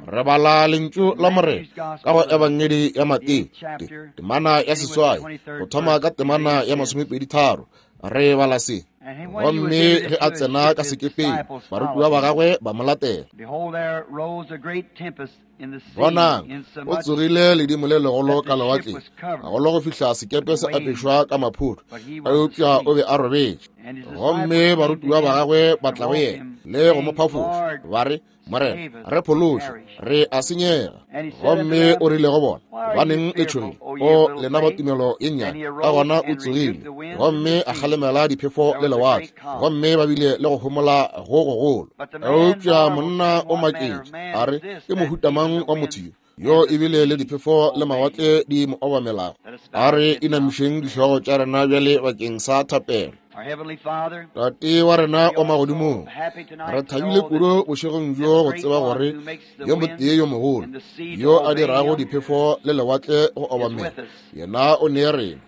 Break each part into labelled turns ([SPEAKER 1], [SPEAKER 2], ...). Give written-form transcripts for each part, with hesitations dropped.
[SPEAKER 1] Re bala lentšu la Morena ka go Ebangedi ya Mateo, temana ya 8, go thoma ka temana ya 23. Re bala se. Gomme ge a tsena ka sekepeng, barutiwa ba gagwe ba mo latela. Bonang, o tsogile ledimo le legolo ka lewatleng, gagolo go fihla sekepe se apešwa ka maphoto, eupša o be a robetše. Gomme barutiwa ba gagwe ba tla go yena le go mo phafoša, ba re, Morena, re phološe, re a senyega. Gomme o rile go bona, Gobaneng le tšhogile, o lena ba tumelo ye nnyane? Ka gona o tsogile gomme a kgalemela diphefo le lewatle, gomme ba bile le go homola go gogolo. Eupša monna o maketše, a re, Ke mohuta mang wa motho yo, yo ebile le diphefo le mawatle di mo obamelago? A re inamišeng dihlogo tša rena bjale bakeng sa thapelo. Tate wa rena wa magodimong, re thabile kudu bošegong bjo go tseba gore yo motee yo mogolo yo a dirago diphefo le lewatle go obamela, yena o ne rena.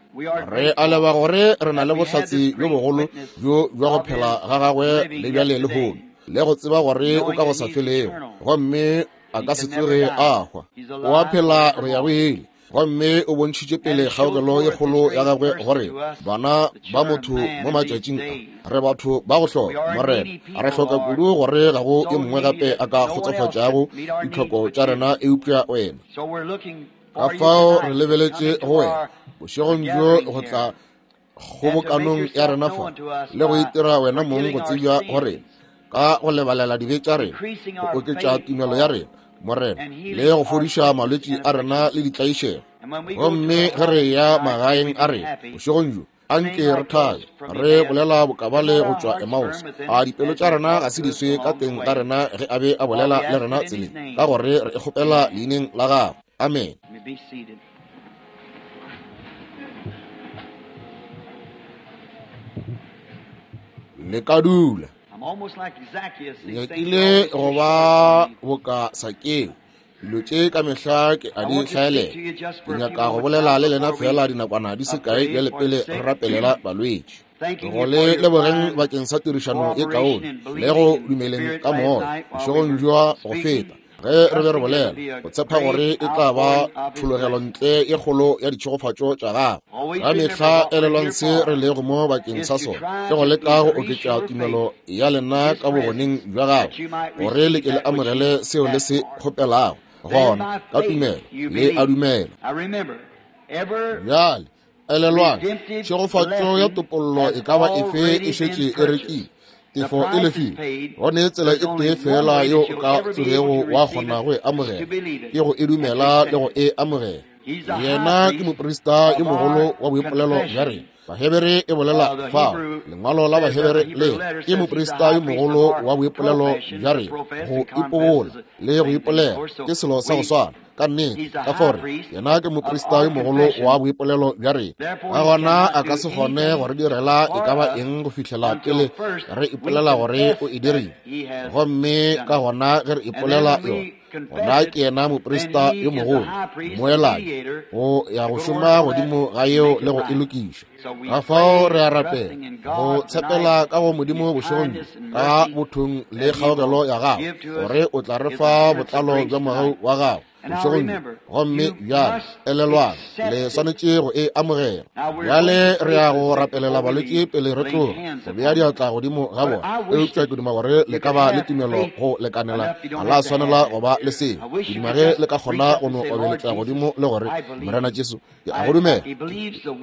[SPEAKER 1] Re a leba gore re na le bohlatse bjo bogolo bjo bja go phela ga gagwe le bjale lehono, le go tseba gore o ka go sa felego gomme a ka se tsoge a hwa. O a phela go ya go ile, gomme o bontšhitše pele kgaogelo ye kgolo ya gagwe gore bana ba motho mo matšatšing a re batho ba go hloka. Morena, re hloka kudu gore ga go yo mongwe gape a ka kgotsofatšago ditlhoko tša rena eupša wena. Ka fao re lebeletše go wena bošegong bjo go tla kgobokanong ya rena fa le go itira wena mong go tsebja go rena ka go lebalela dibe tša rena, go oketša tumelo ya rena, Morena, le go fodiša malwetši a rena le ditlaišego. Gomme ge re ya magaeng a rena bošegong bjo, anke re thabe re bolela bokabale go tšwa Emmaus. A dipelo tša rena ga se di swe ka teng ga rena ge a be a bolela le rena tseleng, ka gore re e kgopela leineng la gagwe. Amen. Le ka dula. Nyakile go ba boka Sakeo. Dilo tše ka mehla ke a di hlaelela. Ke nyaka go bolela le lena fela dinakwana di se kae bjale pele re rapelela balwetši. Go le lebogeng bakeng sa tirišano ye kaone le go dumeleng ka moya bošegong bja go feta ge re be re bolela, go tshepa gore e tla ba thologelo ntle ye kgolo ya ditšhegofatšo tša gago. Ka mehla elelwang se re lego mo bakeng sa sona, ke go leka go oketša tumelo ya lena ka bogoneng bja gago, gore le ke le amogele seo le se kgopelago. Gona ka tumelo le a dumela. Bjale elelwang, tšhegofatšo ya topollo e ka ba efe e šetše e rekile, tefo e lefile. Go ne tsela e tee fela yeo o ka tsogego wa kgona go e amogela, ke go e dumela le go e amogela. Yena ke moprista yo mogolo wa boipolelo bja rena. Bahebere e bolela fao, lengwalo la Bahebere le ke moprista yo mogolo wa boipolelo bja rena. Go ipobola le go ipolela ke selo sa go swana. Ka nnete, ka fao re, yena ke moprista yo mogolo wa boipolelo bja rena. Ka gona a ka se kgone go re direla e ka ba eng go fihlela pele re ipolela gore o e dirile. Gomme ka gona ge re ipolela yona, gona ke yena moprista yo mogolo, mmoelanyi, go ya go šoma godimo ga yeo le go e lokiša. Ka fao re a rapela go tshepela ka go Modimo bošegong bjo, ka bothong le kgaogelo ya gago, gore o tla re fa botlalo bja mogau wa gago bošegong bjo. Gomme bjale elelwang, le swanetše go e amogela. Bjale re ya go rapelela balwetši pele re tloga, go bea diatla godimo ga bona. Eupša ke duma gore le ka ba le tumelo go lekanela, ga la swanela go ba le seo. Ke duma ge le ka kgona go no obeletša godimo le gore, Morena Jesu, ke a go dumela,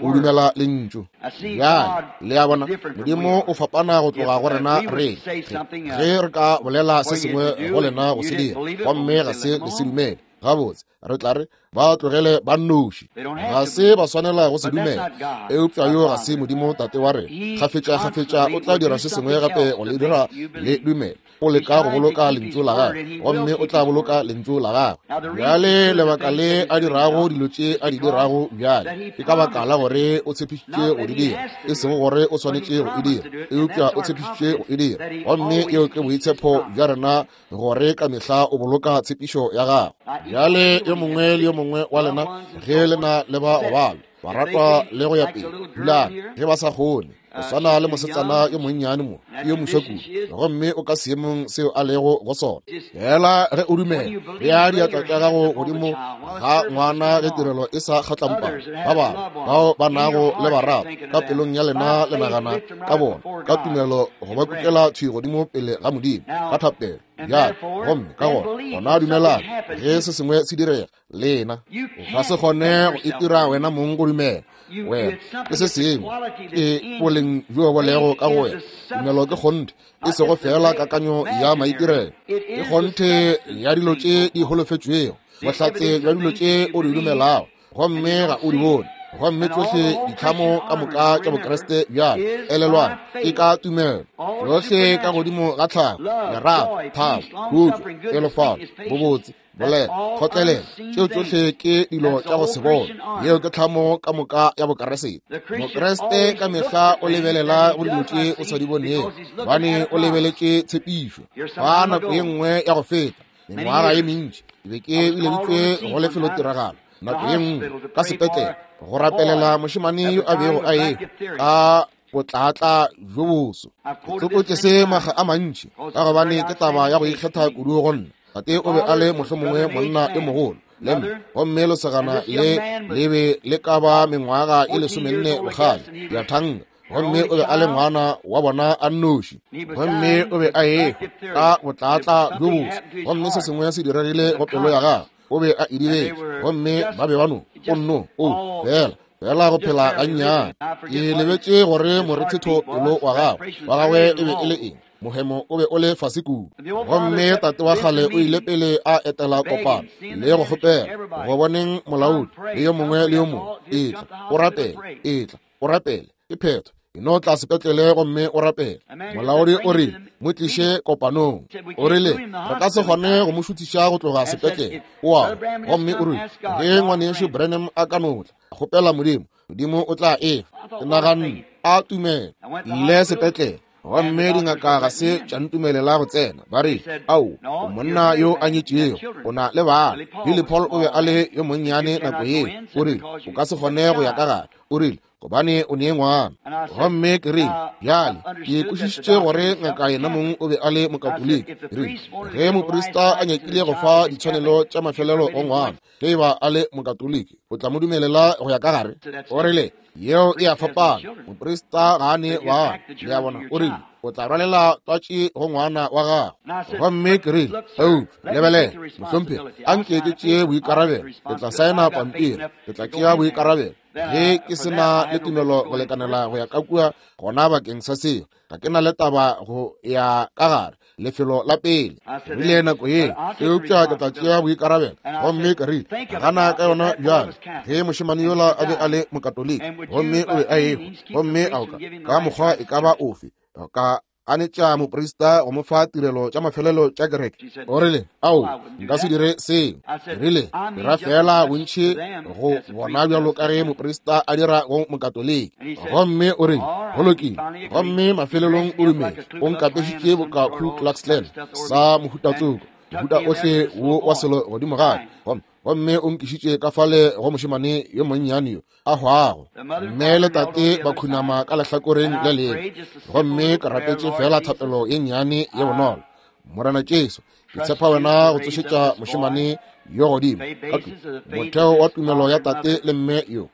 [SPEAKER 1] o dumela lentšu. Bjale le a bona, Modimo o fapana go tloga go rena. Re ge re ka bolela se sengwe go lena go se dira, gomme ga se le se dumele, gabotse re tla re ba tlogele ba nnoši, ga se ba swanela go se dumela. Eupša yo ga se Modimo Tate wa rena. Kgafetša kgafetša o tla dira se sengwe gape go le dira le dumele. O leka go boloka lentšu la gagwe, gomme o tla boloka lentšu la gagwe. Bjale lebaka le a dirago dilo tše a di dirago bjale ke ka baka la gore o tshepišitše go di dira, e sego gore o swanetše go e dira, eupša o tshepišitše go e dira. Gomme yeo ke boitshepo bja rena, gore ka mehla o boloka tshepišo ya gagwe. Bjale yo mongwe le yo mongwe wa lena, ge le na le ba go balwa, baratwa le go ya pele, dulang ge ba sa kgone. O swana le mosetsana yo monnyane mo, ke yo moswa kudu, gomme o ka seemong seo a lego go sona. Fela ge o dumela, bea diatla tša gago godimo ga ngwana ge tirelo e sa kgatlampana. Ba bangwe bao ba nago le barato ka pelong ya lena le nagana ka bona ka tumelo go ba kukela thwi godimo pele ga Modimo ka thapelo. Bjale, gomme ka gona, gona dumelang ge se sengwe se direga. Lena o ka se kgone go itira wena mong go dumela. Wena ke se sengwe, ke boleng bjo bo lego ka go wena. Tumelo ke kgonthe, e sego fela kakanyo ya maitirelo, ke kgonthe ya dilo tše di holofetšwego, bohlatse bja dilo tše o di dumelago, gomme ga o di bone. Gomme tšohle ditlhamo ka moka tša Bokriste bjale, elelwang, ke ka tumelo. Tšohle ka godimo ga tlhago, lerato, thabo, khutšo, pelofalo, bobotse, bolela, kgotlelelo, tšeo tšohle ke dilo tša go se bone. Yeo ke tlhamo ka moka ya Bokriste. Mokriste ka mehla o lebelela go dilo tše o sa di bonego, gobane o lebeletše tshepišo. Fa nako ye nngwe ya go feta, mengwaga ye mentši, ke be ke bileditšwe go lefelotiragalo nako ye nngwe ka sepetlele go rapelela mošemane yo a bego a ehwa ka botlatla bjo boso. Ke tsopotše se makga a mantši ka gobane ke taba ya go ikgetha kudu go nna. Tate o be a le mohlomongwe monna yo mogolo le mme, gomme lesogana le le be le ka ba mengwaga e 14 bokgale, ya thanga, gomme o be a le ngwana wa bona a nnoši, gomme o be a ehwa ka botlatla bjo boso, gomme se sengwe se diregile go pelo ya gagwe. O be a idibetše, gomme ba be ba no o nno o fela fela go phela gannyane. Ke lebetše gore morethetho pelo wa gagwe wa gagwe e be e le eng. Mohemo o be o le fase kudu. Gomme tate wa kgale o ile pele a etela kopano le go kgopela go boneng molaodi le yo mongwe le yo mongwe, etla o rapele, etla o rapele, ke phetho, e no tla sepetlele gomme o rapele. Molaodi o rile, mo tliše kopanong. O rile, re ka se kgone go mo šuthiša go tloga sepetlele. O a, gomme o rile, ge ngwanešu Branham a ka no tla, kgopela Modimo, Modimo o tla efa. Ke naganne, a tumelo. Ile sepetlele, gomme dingaka ga se tša ntumelela go tsena. Ba re, ao, o monna yo a nyetšego, o na le bana. Billy Paul o be a le yo monnyane nako yeo. O rile, o ka se kgone go ya ka gare. O rile, gobane o ne ngwana. Gomme ke rile, bjale ke kwešišitše gore ngaka yena mong o be a le Mokatoliki. Ke rile, ge moprista a nyakile go fa ditshwanelo tša mafelelo go ngwana, ge e ba a le Mokatoliki, o tla mo dumelela go ya ka gare. O rile, yeo e a fapana, moprista ga a ne bana. Le a bona? O rile, o tla rwalela twatši go ngwana wa gago. Gomme ke rile, eupša lebelela, mohlomphegi, a nke ke tšee boikarabelo. Ke tla saena pampiri, ke tla tšea boikarabelo. Ge ke se na le tumelo go lekanela go ya ka kua, gona bakeng sa seo, ga ke na le taba go ya ka gare lefelo la pele. Rile nako ye, eupša ke tla tšea boikarabelo. Gomme ke rile, gana ka yona bjale, ge mošemane yola a be a le Mokatoliki, gomme o be a ehwa, gomme a oka ka mokgwa e ka ba ofe, ka ganetša moprista go mo fa tirelo tša mafelelo tša kereke. O rile, ao, nka se dire seo. Ke rile, dira fela bontši go bona bjalo ka ge moprista a dira go Mokatoliki. Gomme o rile, go lokile. Gomme mafelelong o dumetše, o nkapešitše boka Ku Klux Klan sa mohutatsoko, mohuta ohle wo wa selo godimo ga ka. Gomme o nkišitše ka fale go mošemane yo monnyane yo a hwago. Mme le tate ba khunama ka lehlakoreng le lengwe, gomme ke rapetše fela thapelo ye nnyane ye bonolo. Morena Jesu, ke tshepa wena go tsošetša mošemane yo godimo ka motheo wa tumelo ya tate le mme yo.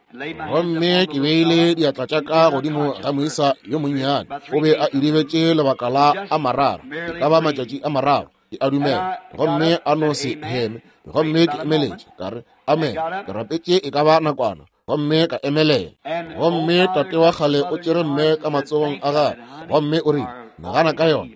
[SPEAKER 1] Gomme ke beile diatla tša ka godimo ga moisa yo monnyane. O be a idibetše lebaka la a mararo, e ka ba matšatši a mararo, ke a dumela. Gomme a no se heme. Gomme ke emeletše, ka re, amen. Ke rapetše e ka ba nakwana, gomme ka emelela. Gomme tate wa kgale o tšere mme ka matsogong a gagwe, gomme o rile, nagana ka yona,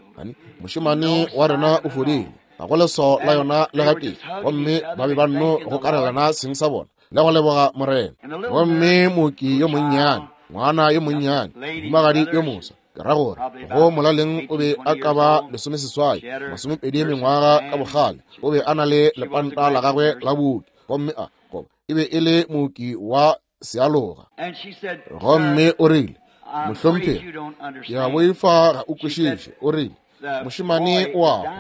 [SPEAKER 1] mošemane wa rena o fodile, ga go leswao la yona le gatee. Gomme ba be ba nno go karelana seng sa bona le go leboga Morena. Gomme mooki yo monnyane, ngwana yo monnyane, mohumagadi yo moswa, ke ra gore go molaleng o be a ka ba 18, 20 mengwaga ka bokgale, o be a na le lepanta la gagwe la booki, gomme a goba e be e le mooki wa sealoga. Gomme o rile, mohlomphegi, ke a boifa ga o kwešiše. O rile, mošemane o a hwa.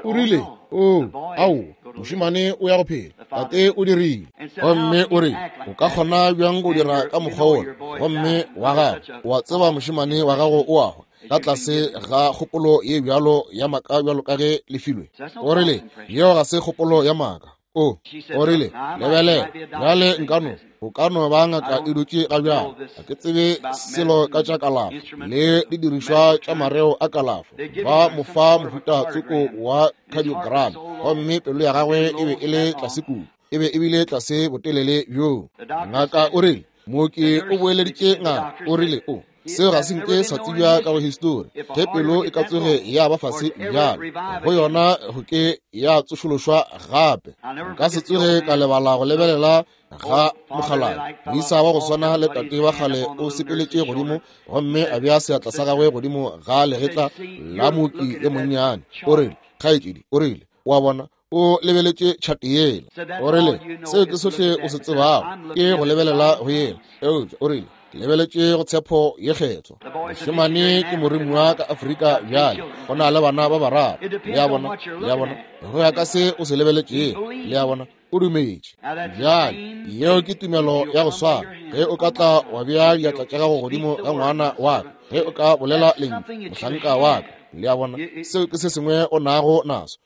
[SPEAKER 1] O rile, o, ao, Mošemane o ya go phela. Tate o dirile. Gomme o re, o ka kgona bjang go dira ka mokgwa wola? Gomme wa gago, wa tseba mošemane wa gago o a hwa, ka tlase ga kgopolo ye bjalo ya maaka bjalo ka ge le filwe. O rile, yeo ga se kgopolo ya maaka. O rile, lebelela, bjale nkano, o ka no ba ngaka e dutše ga bjalo. Ga ke tsebe selo ka tša kalafo le didirišwa tša mareo a kalafo. Ba mo fa mohuta tsoko wa cardiogram, gomme pelo ya gagwe e be e le tlase kudu, e be e bile tlase botelele bjoo. Ngaka o rile, mooki o boeleditše ngaka, o rile, o seo ga se nke sa tsebja ka go histori. Ge pelo e ka tsoge ya ba fase bjalo, go yona go ke ya tsošološwa gape. Nka se tsoge ka lebala go lebelela ga mokgalabje moisa wa go swana le tate wa kgale o sepeletše godimo gomme a bea seatla sa gagwe godimo ga legetla la mooki yo monnyane. O rile, kgaetšedi, o rile, wa bona, o lebeletše tšhate yela. O rile, seo ke sohle o se tsebago, ke go lebelela go yela. Eupša o rile, ke lebeletše go tshepo ye kgethwa. Mošemane ke moromiwa ka Afrika bjale, o na le bana ba bararo. Le a bona, le a bona, go ya ka se o se lebeletšego. Le a bona, o dumetše. Bjale yeo ke tumelo ya go swana. Ge o ka tla wa bea diatla tša gago godimo ga ngwana wa ka, ge o ka bolela lentšu, mohlanka wa ka. Le a bona, seo ke se sengwe o nago naso.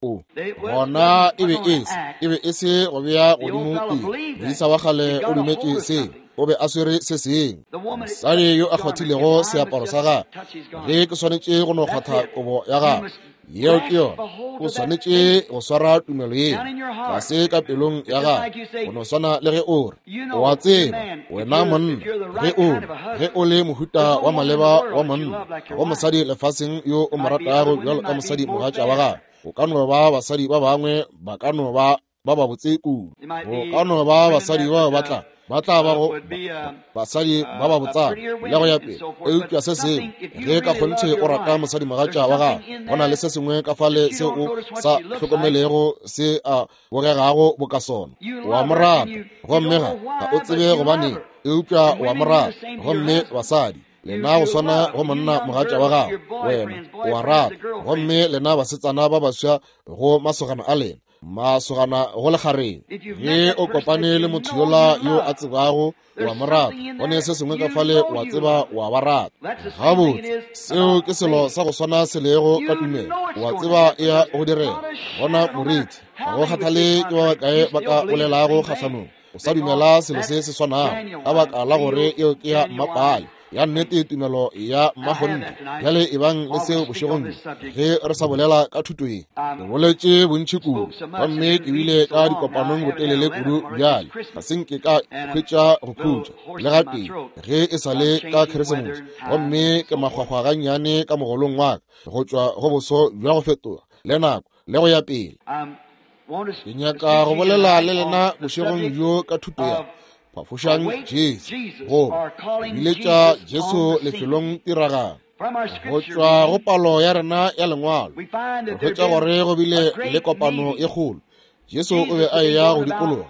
[SPEAKER 1] O gona e be e se, e be e se go bea godimo pele. Moisa wa kgale o dumetše seo, o be a swere se sengwe. Mosadi yo a kgwathilego seaparo sa gagwe, ge ke swanetše go no kgwatha kobo ya gagwe, yeo ke yona. O swanetše go swara tumelo yeo tlase ka pelong ya gago, go no swana le ge o re, o a tseba, wena monna, ge o ge o le mohuta wa maleba wa monna, go mosadi lefaseng yo o mo ratago bjalo ka mosadi mogatša wa gago. O ka no ba basadi ba bangwe ba ka no ba ba babotse kudu, go ka no ba basadi bao ba tla ba tla ba go basadi ba ba botsana le go ya pele. Eupša se sengwe, ge ka kgonthe o rata mosadi mogatša wa gago, go na le se sengwe ka fale se o sa hlokomelego se a bogegago boka sona. O a mo rata, gomme ga o tsebe gobaneng, eupša o a mo rata. Gomme basadi, lena go swana go monna mogatša wa gago, wena o a rata. Gomme lena basetsana ba baswa go masogana a lena, masogana go lekgareng, ge o kopane le motho yola yo a tsebago wa mo rata, go ne se sengwe ka fale, wa tseba wa ba rata. Gabotse, seo ke selo sa go swana se lego ka tumelo. Wa tseba e ya go direga. Gona moriti, ga go kgathale ke ba bakae ba ka bolelago kgahlanong, o sa dumela selo se se swanago, ka baka la gore eo ke ya mmapale, ya nnete, tumelo ya mmakgonthe. Bjale ebang le seo bošegong bjo ge re sa bolela ka thuto ye. Ke boletše bontši kudu, gomme ke bile ka dikopanong botelele kudu bjale, ga se nke ka hwetša go khutša le gatee ge e sa le ka Keresemose, gomme ke makgwakgwa gannyane ka mogolong wa ka go tšwa go boso bja go fetoga le nako le go ya pele. Ke nyaka go bolela le lena bošegong bjo ka thuto ya Phafošang Jesu, goba biletša Jesu lefelong tiragalo. Go tšwa go palo ya rena ya lengwalo, re hwetša gore go bile le kopano e kgolo. Jesu o be a eya go dikologa,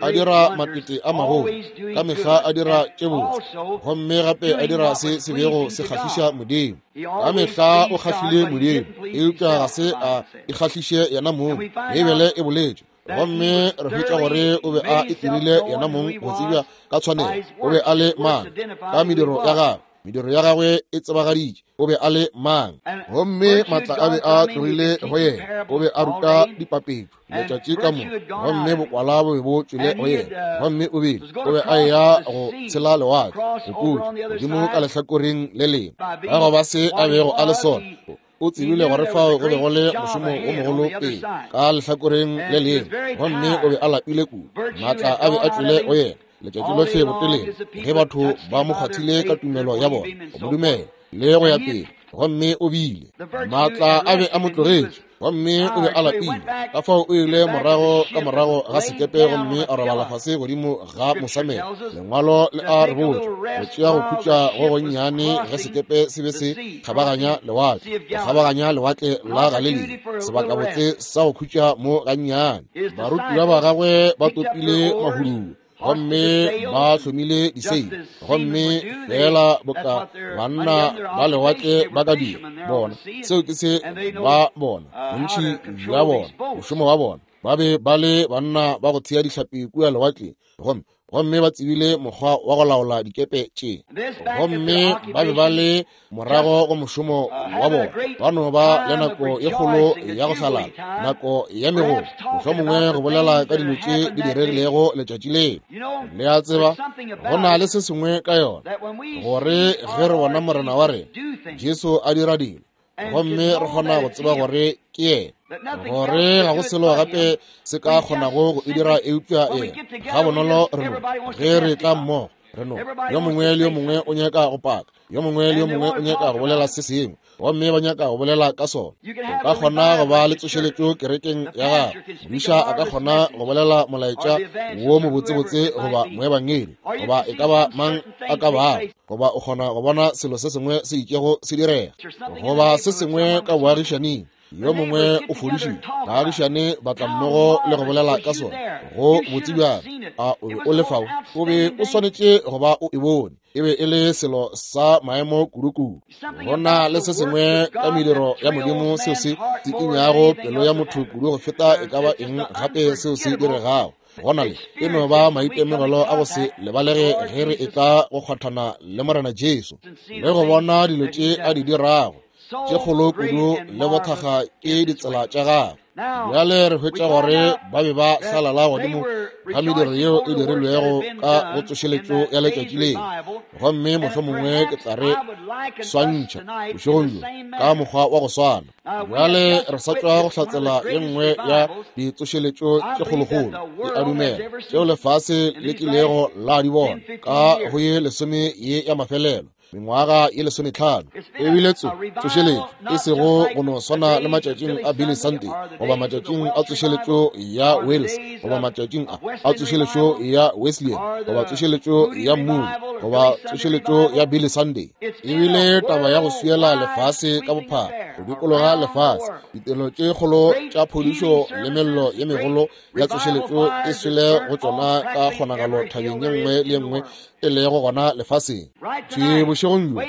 [SPEAKER 1] a dira matete a magolo, ka mehla a dira tše botse, gomme gape a dira se se bego se kgahliša Modimo. Ka mehla o kgahlile Modimo, eupša ga se a ikgahliše yena mong. Beibele e boletše, gomme re hwetša gore o be a itirile yena mong go tsebja ka tshwanelo. O be a le mang? Ka mediro ya gagwe. Mediro ya gagwe e tsebagaditše o be a le mang. Gomme maatla a be a tlogile go yena. O be a ruta dipapetšo letšatši ka moka, gomme bokwala bo be bo tšwele go yena. Gomme o bile o be a eya go tshela lewatle go putla godimo ka lehlakoreng le lengwe, ka go ba se a bego a le sona. O tsebile gore fao go be go le mošomo o mogolo pele ka lehlakoreng le lengwe, gomme o be a lapile kudu. Maatla a be a tšwele go yena letšatši lohle botelele, ge batho ba mo kgwathile ka tumelo ya bona go mo dumela le go ya pele. Gomme o bile maatla a be a mo tlogetše, gomme o be a lapile. Ka fao o ile morago ka morago ga sekepe gomme a robala fase godimo ga mosamelo. Lengwalo le a re botša go tšea go khutša go gonnyane ge sekepe se be se kgabaganya lewatle, go kgabaganya lewatle la Galilea, sebakabotse sa go khutša mo gannyane. Barutiwa ba gagwe ba topile mahuduo gomme ba hlomile diseile, gomme fela boka banna ba lewatle ba ka dira. Bona, seo ke se ba bona, bontši bja bona, mošomo wa bona. Ba be ba le banna ba go thea dihlapi kua lewatleng, gomme ba tsebile mokgwa wa go laola dikepe tše. Gomme ba be ba le morago go mošomo wa bona, ba no ba le nako e kgolo ya go hlalala, nako ya megolo, mohlomongwe go bolela ka dilo tše di diregilego letšatši leo. Le a tseba, go na le se sengwe ka yona, gore ge re bona Morena wa rena Jesu a dira dilo, gomme re kgona go tseba gore ke yena, gore ga go selo gape se ka kgonago go e dira eupša yena. Ga bonolo re no, ge re tla mmogo, re no, yo mongwe le yo mongwe o nyaka go paka, yo mongwe le yo mongwe o nyaka go bolela se sengwe, gomme ba nyaka go bolela ka sona. O ka kgona go ba le tsošeletšo kerekeng ya gago, modiša a ka kgona go bolela molaetša wo mobotsebotse goba moebangedi goba e ka ba mang a ka bago, goba o kgona go bona selo se sengwe se itšego se direga, goba se sengwe ka boagišaning, yo mongwe o fodišitšwe, baagišane ba tla mmogo le go bolela ka sona. Go botse bjang! A o be o le fao? O be o swanetše go ba o e bone. E be e le selo sa maemo kudu-kudu. Go na le se sengwe ka mediro ya Modimo seo se tsikinyago pelo ya motho kudu go feta e ka ba eng gape seo se diregago. Go na le e no ba maitemogelo a go se lebalege ge re etla go kgwathana le Morena Jesu le go bona dilo tše a di dirago tše kgolo kudu le bothakga ke ditsela tša gagwe. Bjale re hwetša gore ba be ba hlalala godimo ga mediro yeo e dirilwego ka go tsošeletšo ya letšatši leo, gomme mohlomongwe ke tla re swantšha bošegong bjo ka mokgwa wa go swana. Bjale re sa tšwa go hlatsela ye nngwe ya ditsošeletšo tše kgolokgolo, ke a dumela, tšeo lefase le kilego la di bona ka go ye lesome ye ya mafelelo, mengwaga ye 15. E bile tsošeletšo e sego go no swana le matšatšing a Billy Sunday, goba matšatšing a tsošeletšo ya Wales, goba matšatšing a tsošeletšo ya Wesleyan, goba tsošeletšo ya Moody, goba tsošeletšo ya Billy Sunday. E bile taba ya go swiela lefase ka bophara, go dikologa lefase, ditirelo tše kgolo tša phodišo le mello ye megolo ya tsošeletšo e swele go tšona ka kgonagalo thabeng ye nngwe le ye nngwe e lego gona lefaseng. Thwi bošegong bjo,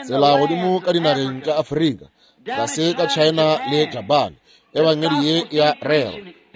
[SPEAKER 1] tsela godimo ka dinageng tša Afrika, tlase ka China le Japan, ebangedi ye ya rera,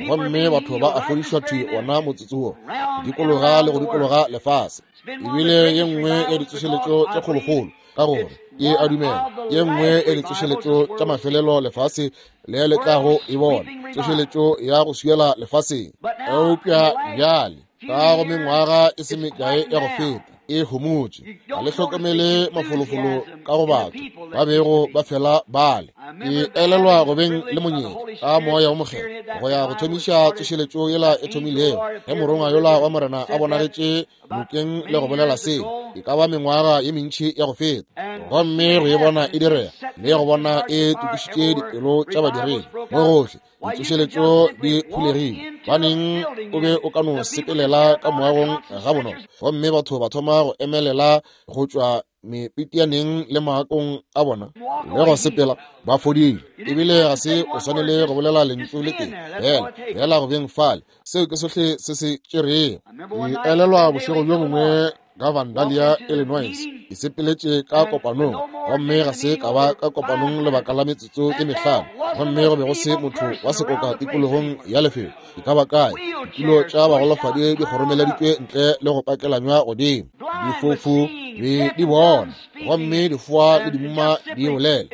[SPEAKER 1] gomme batho ba a fodišwa thwi wona motsotso wo, go dikologa le go dikologa lefase. Ebile ye nngwe ya ditsošeletšo tše kgolokgolo, ka gore ke a dumela ye nngwe ya ditsošeletšo tša mafelelo lefase le le tlago e bona, tsošeletšo ya go swiela lefaseng. Eupša bjale ka go mengwaga e se mekae ya go feta, e homotše, ga le hlokomele mafolofolo ka go batho ba bego ba fela bale. Ke elelwa go beng le monyetla ka Moya wo Mokgethwa go ya go thomiša tsošeletšo yela e thomilego ge morongwa yola wa Morena a bonagetše nokeng le go bolela seo e ka ba mengwaga ye mentši ya go feta, gomme go e bona e direga le go bona e tokišitše dipelo tša badiredi mo gohle. Ditsošeletšo di phulegile, baneng o be o ka no sepelela ka moagong ga bonolo, gomme batho ba thoma go emelela go tšwa mepetianeng le maakong a bona le go sepela ba fodile. Ebile ga se o swanele go bolela lentšu le tee fela, fela go beng fale, seo ke sohle se se tšerego. Ke elelwa bošego bjo bongwe ka Vandalia, Illinois, ke sepeletše ka kopanong, gomme ga se ka ba ka kopanong lebaka la metsotso e mehlano, gomme go be go se motho wa sekoka tikologong ya lefelo e ka ba kae. Ditulo tša bagolofadi di kgoromeleditšwe ntle le go pakelanywa godimo, difofu be di bona, gomme difoa le dimuma di bolela,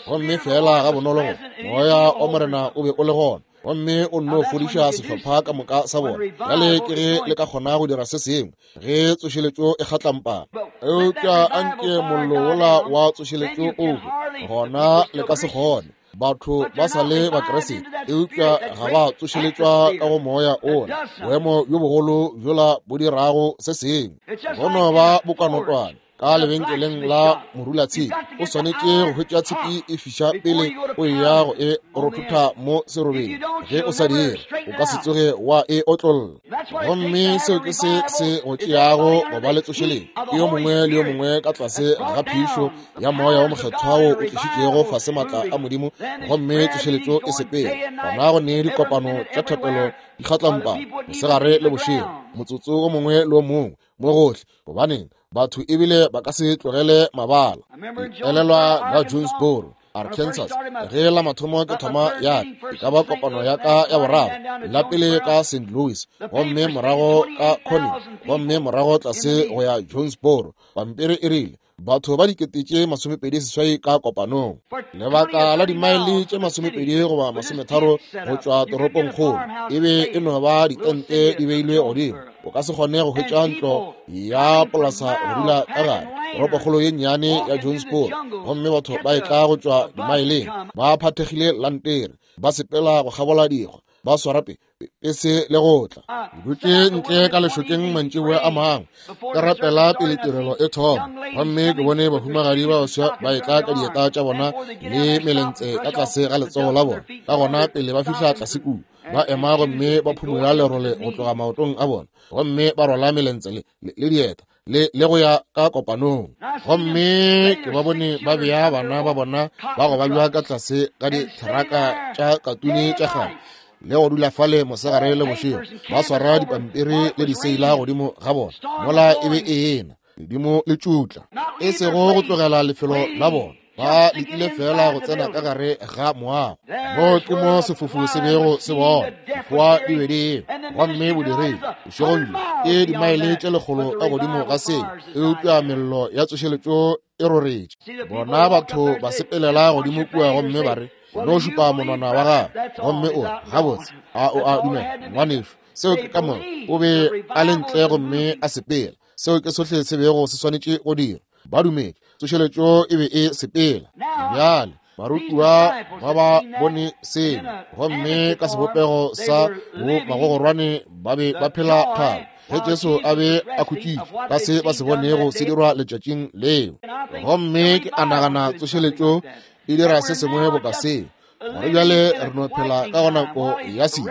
[SPEAKER 1] gomme fela ga bonolo go moya wa Morena o be o le gona, gomme o nno fodiša sehlopha ka moka sa bona. Bjale ke ge le ka kgona go dira se sengwe ge tsošeletšo e kgatlampana, eupša anke mollo wola wa tsošeletšo o hwe, gona le ka se kgone. Batho ba sa le Bakriste, eupša ga ba tsošeletšwa ka go moya ola, boemo bjo bogolo bjola bo dirago se sengwe. Go no ba bokanotwane ka lebenkeleng la morulatshipi, o swanetše go hwetša tshipi e fiša pele o eya go e rothotha mo serobeng. Ge o sa dire, o ka se tsoge wa e otlolla. Gomme seo ke se se go tšeago go ba le tsošeletšo, ke yo mongwe le yo mongwe ka tlase ga phišo ya Moya wo Mokgethwa wo o tlišitšego fase maatla a Modimo, gomme tsošeletšo e sepele. Gona go ne dikopano tša thapelo di kgatlampa mosegare le bošego, motsotso wo mongwe le wo mongwe, mo gohle. Gobaneng, batho ebile ba ka se tlogele mabala. Ke elelwa ka Jonesboro. Arkansas, ge la mathomo ke thoma ya e ka ba kopano ya ka ya boraro, la pele ka St. Louis, gomme morago ka Corning, gomme morago tlase go ya Jonesboro. Pampiri e rile batho ba 28,000 ka kopanong, lebaka la dimaele tše 20 goba 30 go tšwa toropongkgolo. E be e no ba ditente di beilwe godimo, o ka se kgone go hwetša ntlo ya polasa go dula ka gare, toropokgolo ye nnyane ya Jonesboro. Gomme batho ba etla go tšwa dimaeleng, ba phathegile lantere, ba sepela go kgabola dikgwa, ba swara pese le go tla. Ke dutše ntle ka lešokeng mantšiboa a mangwe, ke rapela pele tirelo e thoma, gomme ke bone bahumagadi ba baswa ba etla ka dieta tša bona le melentse ka tlase ga letsogo la bona. Ka gona pele ba fihla tlase kua, ba ema gomme ba phumola lerole go tloga maotong a bona, gomme ba rwala melentse le dieta le go ya ka kopanong. Gomme ke ba bone ba bea bana ba bona ba go babja ka tlase ga ditheraka tša katune tša kgale, le go dula fale mosegare le bošego, ba swara dipampiri le diseila godimo ga bona, mola e be e ena ledimo le tšutla, e sego go tlogela lefelo la bona, ba letile fela go tsena ka gare ga moago. Mo ke mo sefofu se bego se bona, difoa di be di ema, gomme bodiredi bošegong bjo ke dimaele tše 100 ka godimo ga seo, eupša mello ya tsošeletšo e roretše. Bona batho ba sepelela godimo kua gomme ba re, no šupa monwana wa gago, gomme o re, gabotse, a o a dumela, ngwanešu? Seo ke ka moka. O be a le ntle gomme a sepela. Seo ke sohle se bego se swanetše go dira. Ba dumetše tsošeletšo e be e sepela. Bjale barutiwa ba ba bone seo, gomme ka sebopego sa bo magogorwane ba be ba phela thabo ge Jesu a be a khutšitše ka se ba se bonego se dirwa letšatšing leo. Gomme ke a nagana tsošeletšo e dira se sengwe boka seo, gore bjale re no phela ka go nako ya se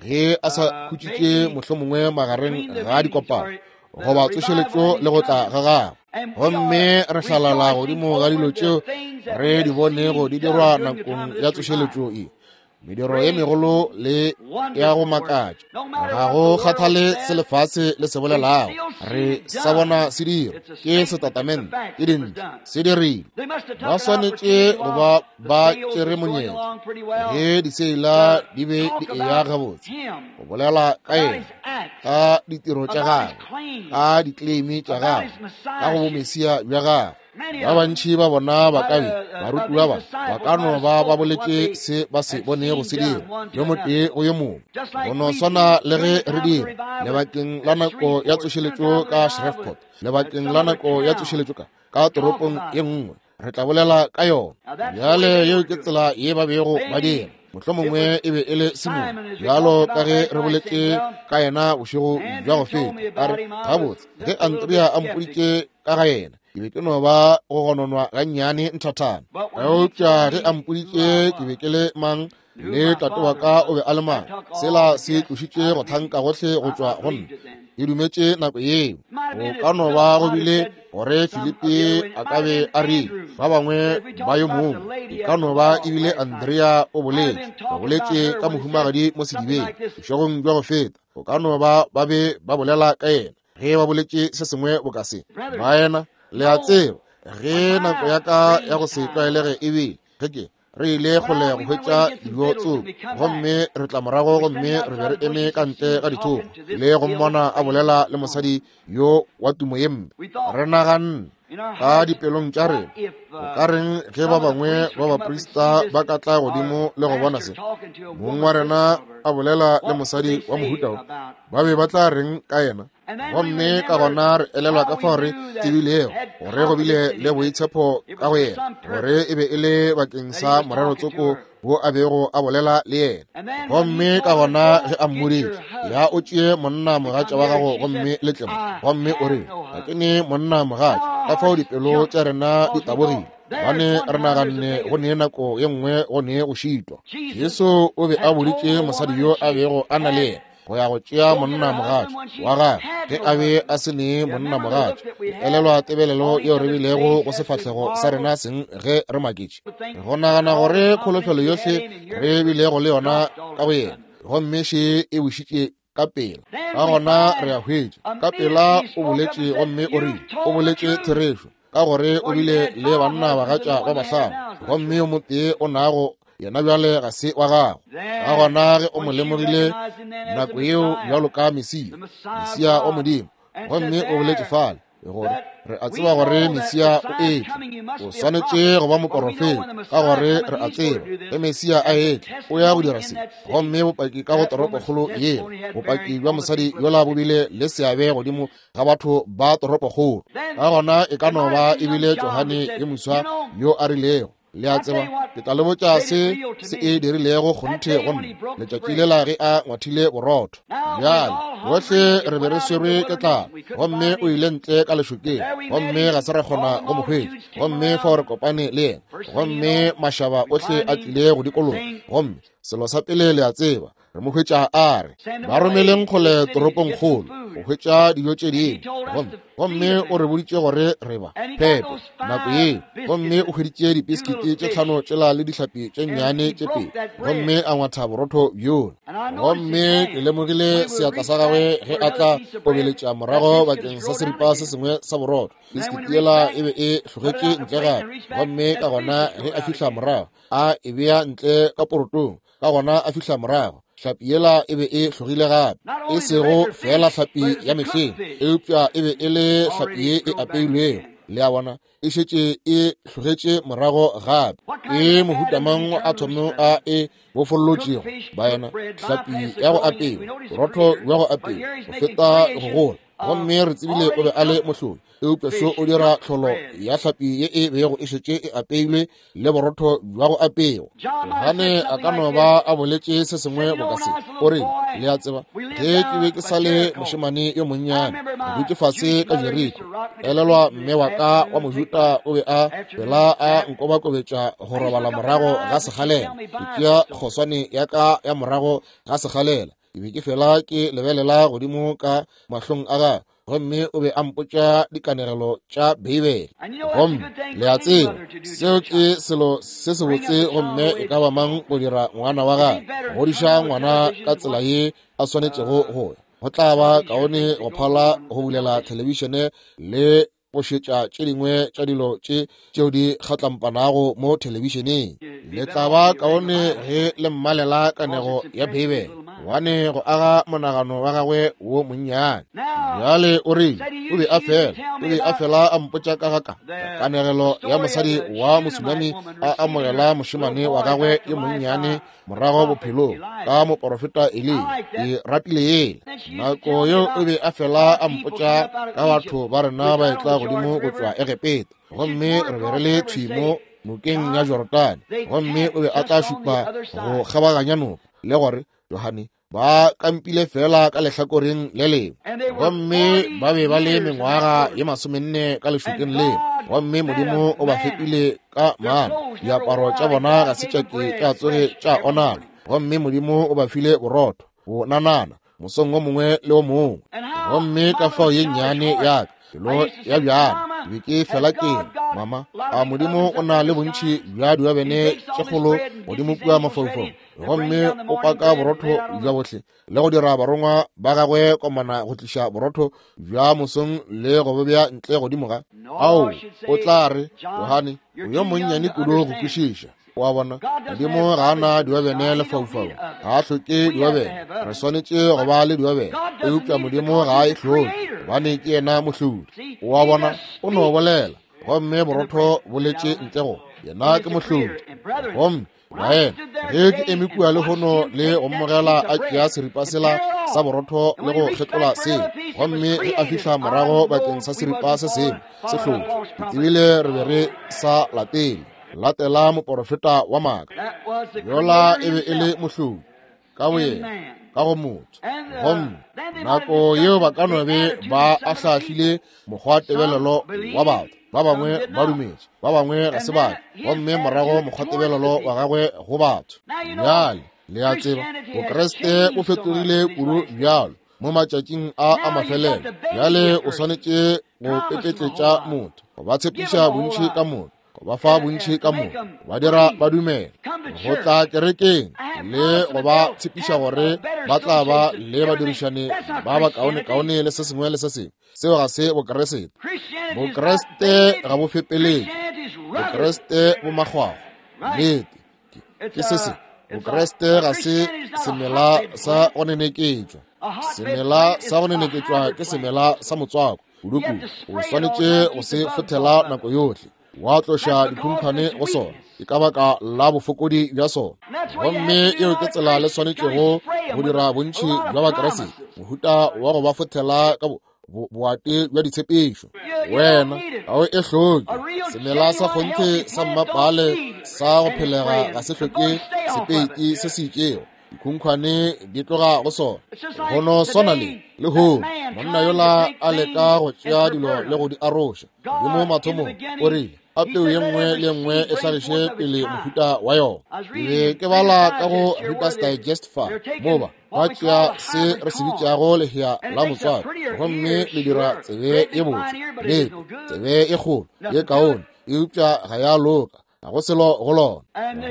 [SPEAKER 1] ge a sa khutšitše mohlomongwe magareng ga dikopano goba tsošeletšo le go tla ga gagwe. Gomme re hlalala godimo ga dilo tšeo re di bonego di dirwa nakong ya tsošeletšo e, mediro ye megolo le ya go makatša. Ga go kgathale se lefase le se bolelago, re sa bona se dira, ke setatamente, ke dintho se dirile. Ba swanetše go ba ba tšere monyetla ge diseila di be di eya gabotse, go bolela ka yena, ka ditiro tša gagwe, ka dikleimi tša gagwe, ka go bomesia bja gagwe. Ba bantši ba bona ba ka be barutiwa ba ba ka no ba ba boletše se ba se bonego se dira, yo motee go yo mongwe, go no swana le ge re dira lebakeng la nako ya tsošeletšo ka Shreveport, lebakeng la nako ya tsošeletšo ka toropong ye nngwe, re tla bolela ka yona. Bjale yeo ke tsela ye ba bego ba dira. Mohlomongwe e be e le Simone, bjalo ka ge re boletše ka yena bošego bja go feta, a re, gabotse, ge Andrea a mpoditše ka ga yena, ke be ke no ba go gononwa gannyane nthathana. Eupša ge a mpoditše ke be ke le mang le tate wa ka o be a le mang, sela se tlošitše go thanka gohle go tšwa go nna. Ke dumetše nako yeo. Go ka no ba go bile gore Filipi a ka be a rile ba bangwe ba yo mongwe, e ka no ba ebile Andrea o boletše, ba boletše ka mohumagadi mo sedibeng bošegong bja go feta. Go ka no ba ba be ba bolela ka yena ge ba boletše se sengwe boka se. Baena, le a tseba, ge nako ya ka ya go se tlwaelege e bile, ge ke re ile kgole go hwetša dijo tsoko, gomme re tla morago gomme re be re eme ka ntle ga dithoko le go mmona a bolela le mosadi yo wa tumo ye mpe. Re naganne ka dipelong tša rena, o ka reng ge ba bangwe ba baprista ba ka tla godimo le go bona se mong wa rena a bolela le mosadi wa mohuta wo, ba be ba tla reng ka yena? Gomme ka gona re elelwa ka fao re tsebilego gore go bile le boitshepo ka go yena, gore e be e le bakeng sa morero tsoko wo a bego a bolela le yena. Gomme ka gona ge a mmoditše, ya o tšee monna mogatša wa gago gomme le tle mo, gomme o re, ga ke ne monna mogatša. Ka fao dipelo tša rena di tabogile, gobane re naganne go ne nako ye nngwe go ne go šitwa. Jesu o be a boditše mosadi yo a bego a na le yena go ya go tšea monna mogatša wa gagwe ge a be a se ne monna mogatša. Elelwa tebelelo yeo re bilego go sefahlego sa rena seng ge re maketše, go nagana gore kholofelo yohle re bilego le yona ka go yena, gomme še e bušitše ka pela. Ka gona re a hwetša ka pela o boletše gomme o rile, o boletše therešo. ka gore o bile le banna bagatša ba bahlano, gomme yo motee o nago yena bjale ga se wa gago. Ka gona ge o mo lemogile nako yeo bjalo ka Mesia, Mesia wa Modimo, gomme o boletše fale gore re a tseba gore Mesia o etla, o swanetše go ba moporofeta, ka gore re a tseba ge Mesia a etla o ya go dira se. Gomme bopaki ka go toropokgolo yela, bopaki bja mosadi yola bo bile le seabe godimo ga batho ba toropokgolo. Ka gona e ka no ba e bile Johane yo moswa yo a rilego, le a tseba, ke tla le botša se se e dirilego kgonthe go nna letšatši lela ge a ngwathile borotho. Bjale bohle re be re swerwe ke tlala, gomme o ile ntle ka lešokeng, gomme ga se ra kgona go mo hwetša. Gomme fao re kopane le yena, gomme mašaba ohle a tlile go dikologa, gomme selo sa pele le a tseba, re mo hwetša a re ba romeleng kgole toropongkgolo go hwetša dijo tše dingwe. Gomme o re boditše gore re ba phepe nako yeo, gomme o hweditše dipiskiti tše 5 tšela le dihlapi tše nnyane tše 2, gomme a ngwatha borotho bjola. Gomme ke lemogile seatla sa gagwe ge a tla obeletša morago bakeng sa seripa se sengwe sa borotho. Piskiti yela e be e hlogetše ntle gape, gomme ka gona ge a fihla morago a e bea ntle ka porotong. Ka gona a fihla morago, hlapi yela e be e hlogile gape, e sego fela hlapi ya mehleng, eupša e be e le hlapi ye e apeilwego. Le a bona, e šetše e hlogetše morago gape. Ke mohuta mang a thomo a e bofollotšego, baena? Hlapi ya go apewa, borotho bja go apewa, go feta go gola. Gomme re tsebile o be a le mohlodi, eupša šo o dira tlholo ya hlapi ye e bego e šetše e apeilwe le borotho bja go apewa. Johane a ka no ba a boletše se sengwe boka se, o rile, le a tseba, ge ke be ke sa le mošemane yo monnyane, ke dutše fase ka Jeriko, elelwa mme wa ka wa Mojuta o be a fela a nkobakobetša go robala morago ga sekgalela, ke tšea kgoswane ya ka ya morago ga sekgalela. Ke be ke fela ke lebelela godimo ka mahlong a gagwe, gomme o be a mpotša dikanegelo tša Beibele. Gomme le a tseba, seo ke selo se sebotse gomme e ka ba mang go dira ngwana wa gagwe, go godiša ngwana ka tsela ye a swanetšego go ya. Go tla ba kaone go phala go bulela thelebišene le go šetša tše dingwe tša dilo tše tšeo di kgatlampanago mo thelebišeneng. Le tla ba kaone ge le mmalela kanego ya Beibele, gobane go aga monagano wa gagwe wo monnyane. Bjale o rile, o be a fela, o be a fela a mpotša ka ga ka kanegelo ya mosadi wa Mosunami a amogela mošemane wa gagwe yo monnyane morago bophelong ka moporofeta Eliya. Ke ratile yela nako yeo o be a fela a mpotša ka batho ba rena ba etla godimo go tšwa Egepeta, gomme re be re le thwi mo nokeng ya Jorodane, gomme o be a tla šupa go kgabaganya noka le gore Johane ba kampile fela ka lehlakoreng le lengwe, gomme ba be ba le mengwaga ye 40 ka lešokeng leo, gomme Modimo o ba fepile ka mana, diaparo tša bona ga se tša ke tša tsoge tša onala, gomme Modimo o ba file borotho bo nanana mosong o mongwe le o mongwe. Gomme ka fao ye nnyane ya ka pelo ya bjana ke be ke fela ke re, mama, a Modimo o na le bontši bja diobene tše kgolo godimo kua mafaufaung, gomme o paka borotho bja bohle le go dira barongwa ba gagwe komana go tliša borotho bja mosong le go bo bea ntle godimo ga ao. O tla re, Johane, o yo monnyane kudu go kwešiša. O a bona, Modimo ga a na diobene lefaufau, ga a hloke diobene. Re swanetše go ba le diobene, eupša Modimo ga a e hloke, gobane ke yena mohlodi. O a bona, o no bolela, gomme borotho bo letše ntle go yena, ke mohlodi. Gomme baena, ge ke eme kua lehono le go mmogela a tšea seripa sela sa borotho le go kgetlola seo, gomme ge a fihla morago bakeng sa seripa se sengwe se hlotše, ke tsebile re be re sa latele latela moporofeta wa maaka. Yola e be e le mohlodi ka boyena ka go motho. Gomme nako yeo ba ka no be ba ahlaahlile mokgwa tebelelo wa batho, ba bangwe ba dumetše, ba bangwe ga se batho, gomme morago mokgwa tebelelo wa gagwe go batho. Bjale le a tseba, Bokreste bo fetogile kudu bjalo mo matšatšing a a mafelelo. Bjale o swanetše go pepetletša motho, go ba tshepiša bontši ka moka, go ba fa bontši ka moka, ba dira ba dumela go tla kerekeng. le go ba tshepiša gore ba tla ba le badirišani ba bakaonekaone le se sengwe le se sengwe. Seo ga se Bokreste. Bokreste ga bo fepeletše. Bokreste bo makgwakgwa. Nnete. Ke se se. Bokreste ga se semela sa go neneketšwa. Semela sa go neneketšwa ke semela sa motswako. Kudu-kudu o swanetše go se fothela nako yohle, wa tloša dikhunkhwane go sona. Ke ka baka la bofokodi bja sona. Gomme eo ke tsela le swanetšego go dira bontši bja Bakreste, mohuta wa go ba fothela ka boate bja ditshepišo. Wena ga o e hloke. Semela sa kgonthe sa mmapale sa go phelega ga se hloke sepeiti se se itšego. Dikhunkhwane di tloga go sona. Go no swana le lehono, monna yola a leka go tšea dilo le go di aroša. Modimo mathomong o rile a peu ye nngwe le nngwe e hlagiše pele mohuta wa yona. Ke be ke bala ka go Reader's Digest fa, moba ba tšea se re se bitšago lehea la motswako, gomme le dira tsebe ye botse, nnete, tsebe e kgolo ye kaone, eupša ga ya loka, ga go selo go lona.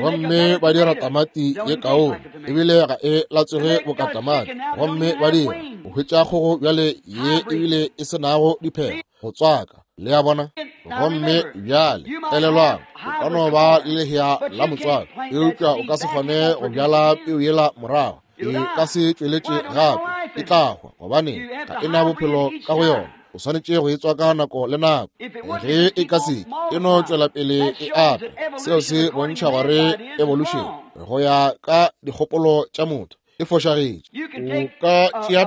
[SPEAKER 1] Gomme ba dira tamati ye kaone, ebile ga e latswege boka tamati. Gomme ba dira go hwetša kgogo bjale ye ebile e se nago diphego go tswaka. Le a bona? Gomme bjale elelwang, o ka no ba le lehea la motswako, eupša o ka se kgone go bjala peu yela morago. E ka se tšweletše gape, e tla hwa, gobane ga e na bophelo ka go yona. O swanetše go e tswaka nako le nako. Ge e ka se e no tšwela pele e ata, seo se bontšha gore evolution go ya ka dikgopolo tša motho e fošagetše. O ka tšea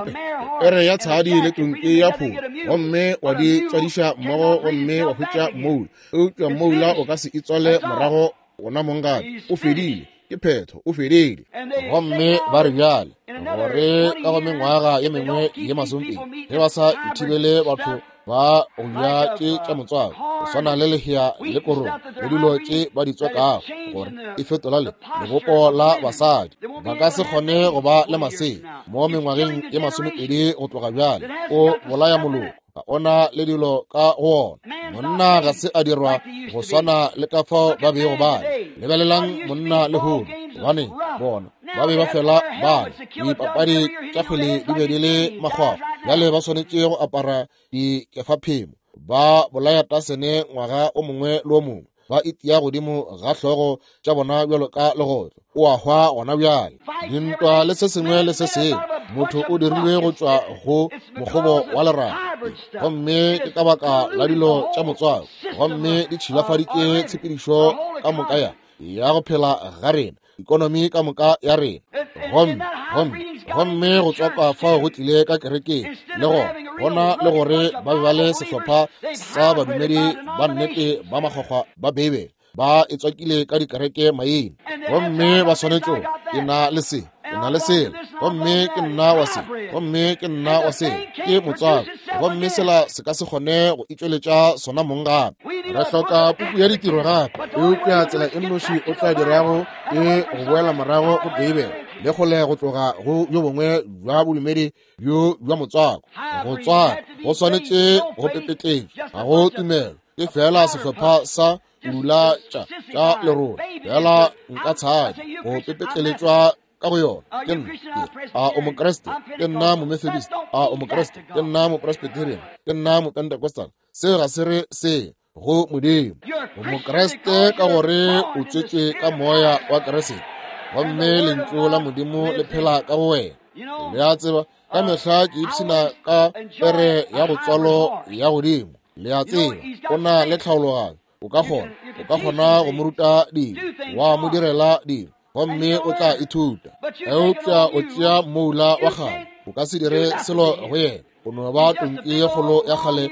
[SPEAKER 1] pere ya tshadi le tonki ya pholo gomme wa di tswadiša mmogo gomme wa hwetša mmoula, eupša mmoula o ka se itswale morago gona mong gape. O fedile, ke phetho, o fedile. Gomme ba re bjale gore ka go mengwaga ye mengwe ye masomepedi, ge ba sa ithibele batho ba go ja tše tša motswako go swana le lehea le korong le dilo tše ba di tswakago, gore e fetola le lebopo la basadi, ba ka se kgone go ba le masea mo mengwageng ye masomepedi go tloga bjale. O bolaya moloko, ga ona le dilo ka go ona. Monna ga se a dirwa go swana le ka fao ba bego ba le. Lebelelang monna lehono, gobane bona ba be ba fela ba dipapadi tša kgwele di be di le makgwakgwa. Bjale ba swanetše go apara dikefaphemo, ba bolaya tasene ngwaga o mongwe le o mongwe, ba itia godimo ga hlogo tša bona bjalo ka legotlo. O a hwa gona bjale. Dintwa le se sengwe le se sengwe, motho o dirilwe go tšwa go mokgobo wa lerato, gomme ke ka baka la dilo tša motswako, gomme di tšhilafaditše tshepedišo ka moka ya go phela ga rena, ekonomi ka moka ya rena. Gomme go tswakwa fao go tlile ka kerekeng le gona, gona le gore ba be ba le sehlopha sa badumedi ba nnete ba makgwakgwa ba Beibele, ba e tswakile ka dikereke maina, gomme ba swanetše ke na le se, ke na le sela, gomme ke nna wa se, gomme ke nna wa se, ke motswako, gomme sela se ka se kgone go itšweletša sona mong gape. Re hloka puku ya ditiro gape, eupša tsela e nnoši o tla dirago ke go boela morago go Beibele le kgole go tloga go bjo bongwe bja bodumedi bjo bja motswako. Go tswaka go swanetše go pepetletšwa, ga go tumelo, ke fela sehlopha sa pula tša lerole, fela nka tshadi go pepetleletšwa ka go yona. Ke nna, a o Mokreste? Ke nna Momethodist. A o Mokreste? Ke nna Mopresbyterian. Ke nna Mopentecostal. Seo ga se re se go Modimo. O Mokreste ka gore o tswetšwe ka moya wa Kriste, gomme lentšu la Modimo le phela ka go wena. Le a tseba, ka mehla ke ipshina ka pere ya go tswalo ya godimo. Le a tseba, o na le tlhaologanyo, o ka kgona go mo ruta dilo, wa mo direla dilo, gomme o tla ithuta. Eupša o tšea mmoula wa kgale, o ka se dire selo go yena. O no ba tonki ye kgolo ya kgale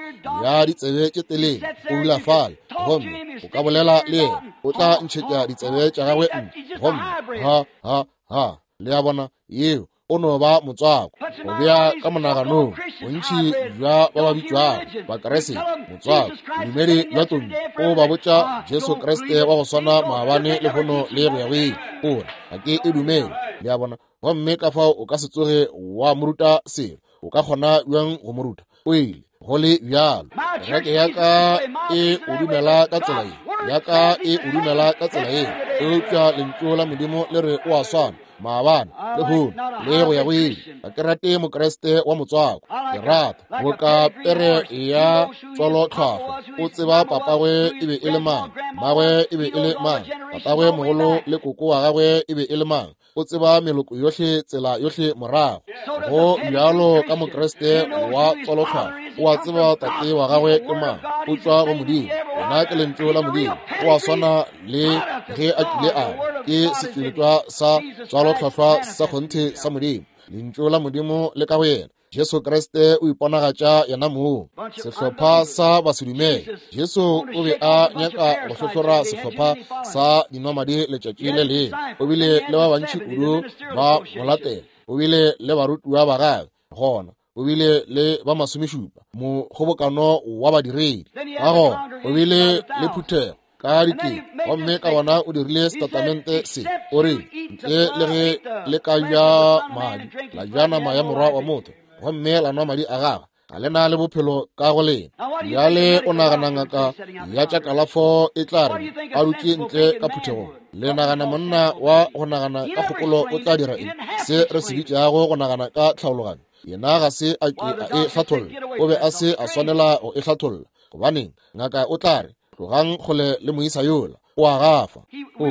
[SPEAKER 1] ya ditsebe tše telele, o dula fale, gomme o ka bolela le yena, o tla ntšhetša ditsebe tša gagwe ntle, gomme ha ha ha. Le a bona, yeo o no ba motswako. Go bea ka monaganong bontši bja ba ba bitšwago Bakriste motswako, bodumedi bja tonki, o ba botša Jesu Kriste wa go swana maabane lehono le go ya go ile. O re, ga ke e dumele. Le a bona? Gomme ka fao o ka se tsoge wa mo ruta selo. O ka kgona bjang go mo ruta? O ile go le bjalo. Kereke ya ka e o dumela ka tsela ye, ya ka e o dumela ka tsela ye, eupša lentšu la Modimo le re o a swana. maabane, lehono, le go ya go ile. Ga ke rate Mokriste wa motswako. Ke rata boka pere ya tswalotlhwahlwa. O tseba papagwe e be e le mang, mmagwe e be e le mang, tatagwe mogolo le koko wa gagwe e be e le mang. O tseba meloko yohle, tsela yohle morago. Go bjalo ka Mokriste wa tswalotlhwahlwa, o a tseba tate wa gagwe ke mang, o tšwa go Modimo, yena ke lentšu la Modimo. O a swana le ge a kile a ba, ke setšweletšwa sa tswalotlhwahlwa sa kgonthe sa Modimo. Lentšu la Modimo le ka go yena. Jesu Kriste o iponagatša yena mong. Sehlopha sa basedumele. Jesu o be a nyaka go hlohlora sehlopha sa dinwamadi letšatši le lengwe. O bile le ba bantši kudu ba mo latela. O bile le barutiwa ba gagwe gona. O bile le ba masomešupa, mokgobokano wa badiredi. Ka gona o bile le phuthego ka dikete, gomme ka gona o dirile setatamente se, o re, ntle le ge le ka ja madi, la ja nama ya morwa wa motho, gomme la nwa madi a gagwe, ga le na le bophelo ka go lena. Bjale o nagana ngaka ya tša kalafo e tla re a dutše ntle ka phuthegong? Le nagana monna wa go nagana ka kgopolo o tla dira eng? Se re se bitšago go nagana ka tlhaologanyo, yena ga se a ke a e hlatholla. O be a se a swanela go e hlatholla. Gobaneng, ngaka o tla re, tlogang kgole le moisa yola, o a gafa. O,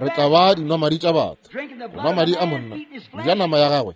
[SPEAKER 1] re tla ba dinwamadi tša batho, go nwa madi a monna, go ja nama ya gagwe.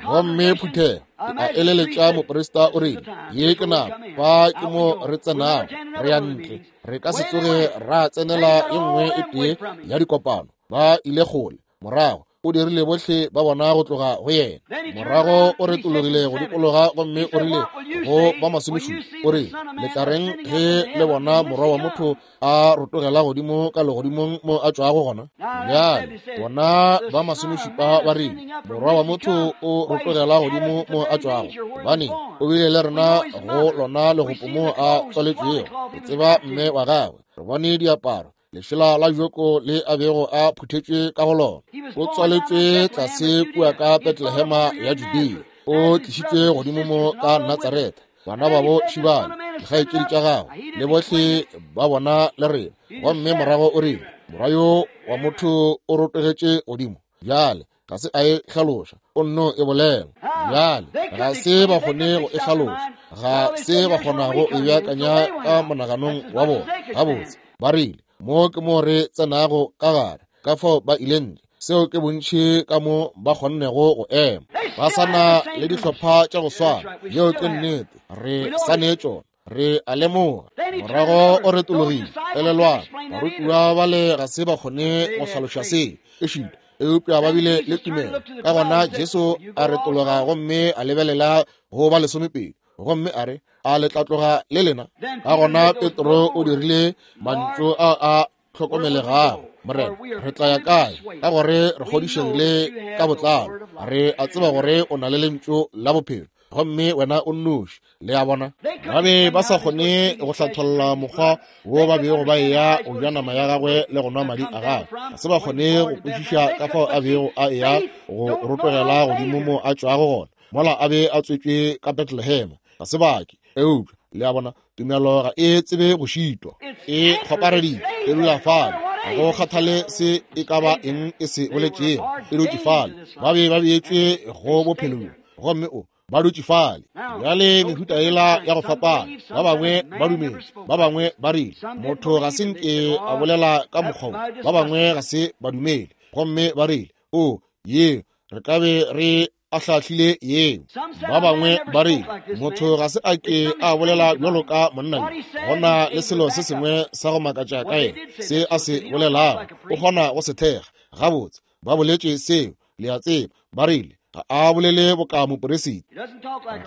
[SPEAKER 1] Gomme phuthego e a eleletša moprista o rile, ye ke nako, fa ke mo re tsenago, re ya ntle, re ka se tsoge ra tsenela ye nngwe e tee ya dikopano. Ba ile kgole morago, o dirile bohle ba bona go tloga go yena. Morago o retologile go dikologa gomme o rile go ba masomešupa, o rile, le tla reng ge le bona morwa wa motho a rotogela godimo ka legodimong mo a tšwago gona? Bjale bona ba masomešupa ba rile, morwa wa motho o rotogela godimo mo a tšwago, gobane o bile le rena go lona legopo mo a tswaletšwego. Re tseba mme wa gagwe, re bone diaparo, lešela la joko le a bego a phuthetšwe ka go lona. O tswaletšwe tlase kua ka Betlehema ya Judea, o tlišitšwe godimo mo ka Natsaretha. Bana babo šibane, dikgaetšedi tša gagwe, le bohle ba bona le rena. Gomme morago o rile, morwa yo wa motho o rotogetše godimo. Bjale ga se a e hlaloša, o nno e bolela. Bjale ga se ba kgone go e hlaloša, ga se ba kgona go e beakanya ka monaganong wa bona. Gabotse, ba rile, mo ke mo re tsenago ka gare, ka fao ba ile ntle. Seo ke bontši ka mo ba kgonnego go ema. Ba sa na le dihlopha tša go swana. Yeo ke nnete, re sa ne tšona. Re a lemoga. Morago o retologile. Elelwang, barutiwa bale ga se ba kgone go hlaloša seo, ešita, eupša ba bile le tumelo. Ka gona Jesu a retologa gomme a lebelela go ba lesomepedi, gomme a re, a le tla tloga le lena? Ka gona Petro o dirile mantšu a a hlokomelegago, Morena, re tla ya kae? Ka gore re kgodišegile ka botlalo, re a tseba gore o na le lentšu la bophelo, gomme wena o nnoši. Le a bona, ba be ba sa kgone go hlatholla mokgwa wo ba bego ba eya go ja nama ya gagwe le go nwa madi a gagwe. Ga se ba kgone go kwešiša ka fao a bego a eya go rotogela godimo mo a tšwago gona, mola a be a tswetšwe ka Betlehema. Ga se bake. Eupša, le a bona, tumelo ga e tsebe go šitwa, e kgopareditše, e dula fale, ga go kgathale se e ka ba eng e se boletšego, e dutše fale. Ba be ba beetšwe go bophelo bjo, gomme o ba dutše fale. Bjale mehuta yela ya go fapana, ba bangwe ba dumetše, ba bangwe ba rile motho ga se nke a bolela ka mokgwa wo, ba bangwe ga se ba dumele, gomme ba rile, o, yeo, re ka be re a hlahlile yeo. Ba bangwe ba rile motho ga se a ke a bolela bjalo ka monna yo, go na le selo se sengwe sa go makatša ka yena, se a se bolelago o kgona go se thekga gabotse. Ba boletše seo, le a tseba, ba rile ga a bolele boka moperisita,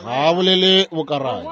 [SPEAKER 1] ga a bolele boka rabi,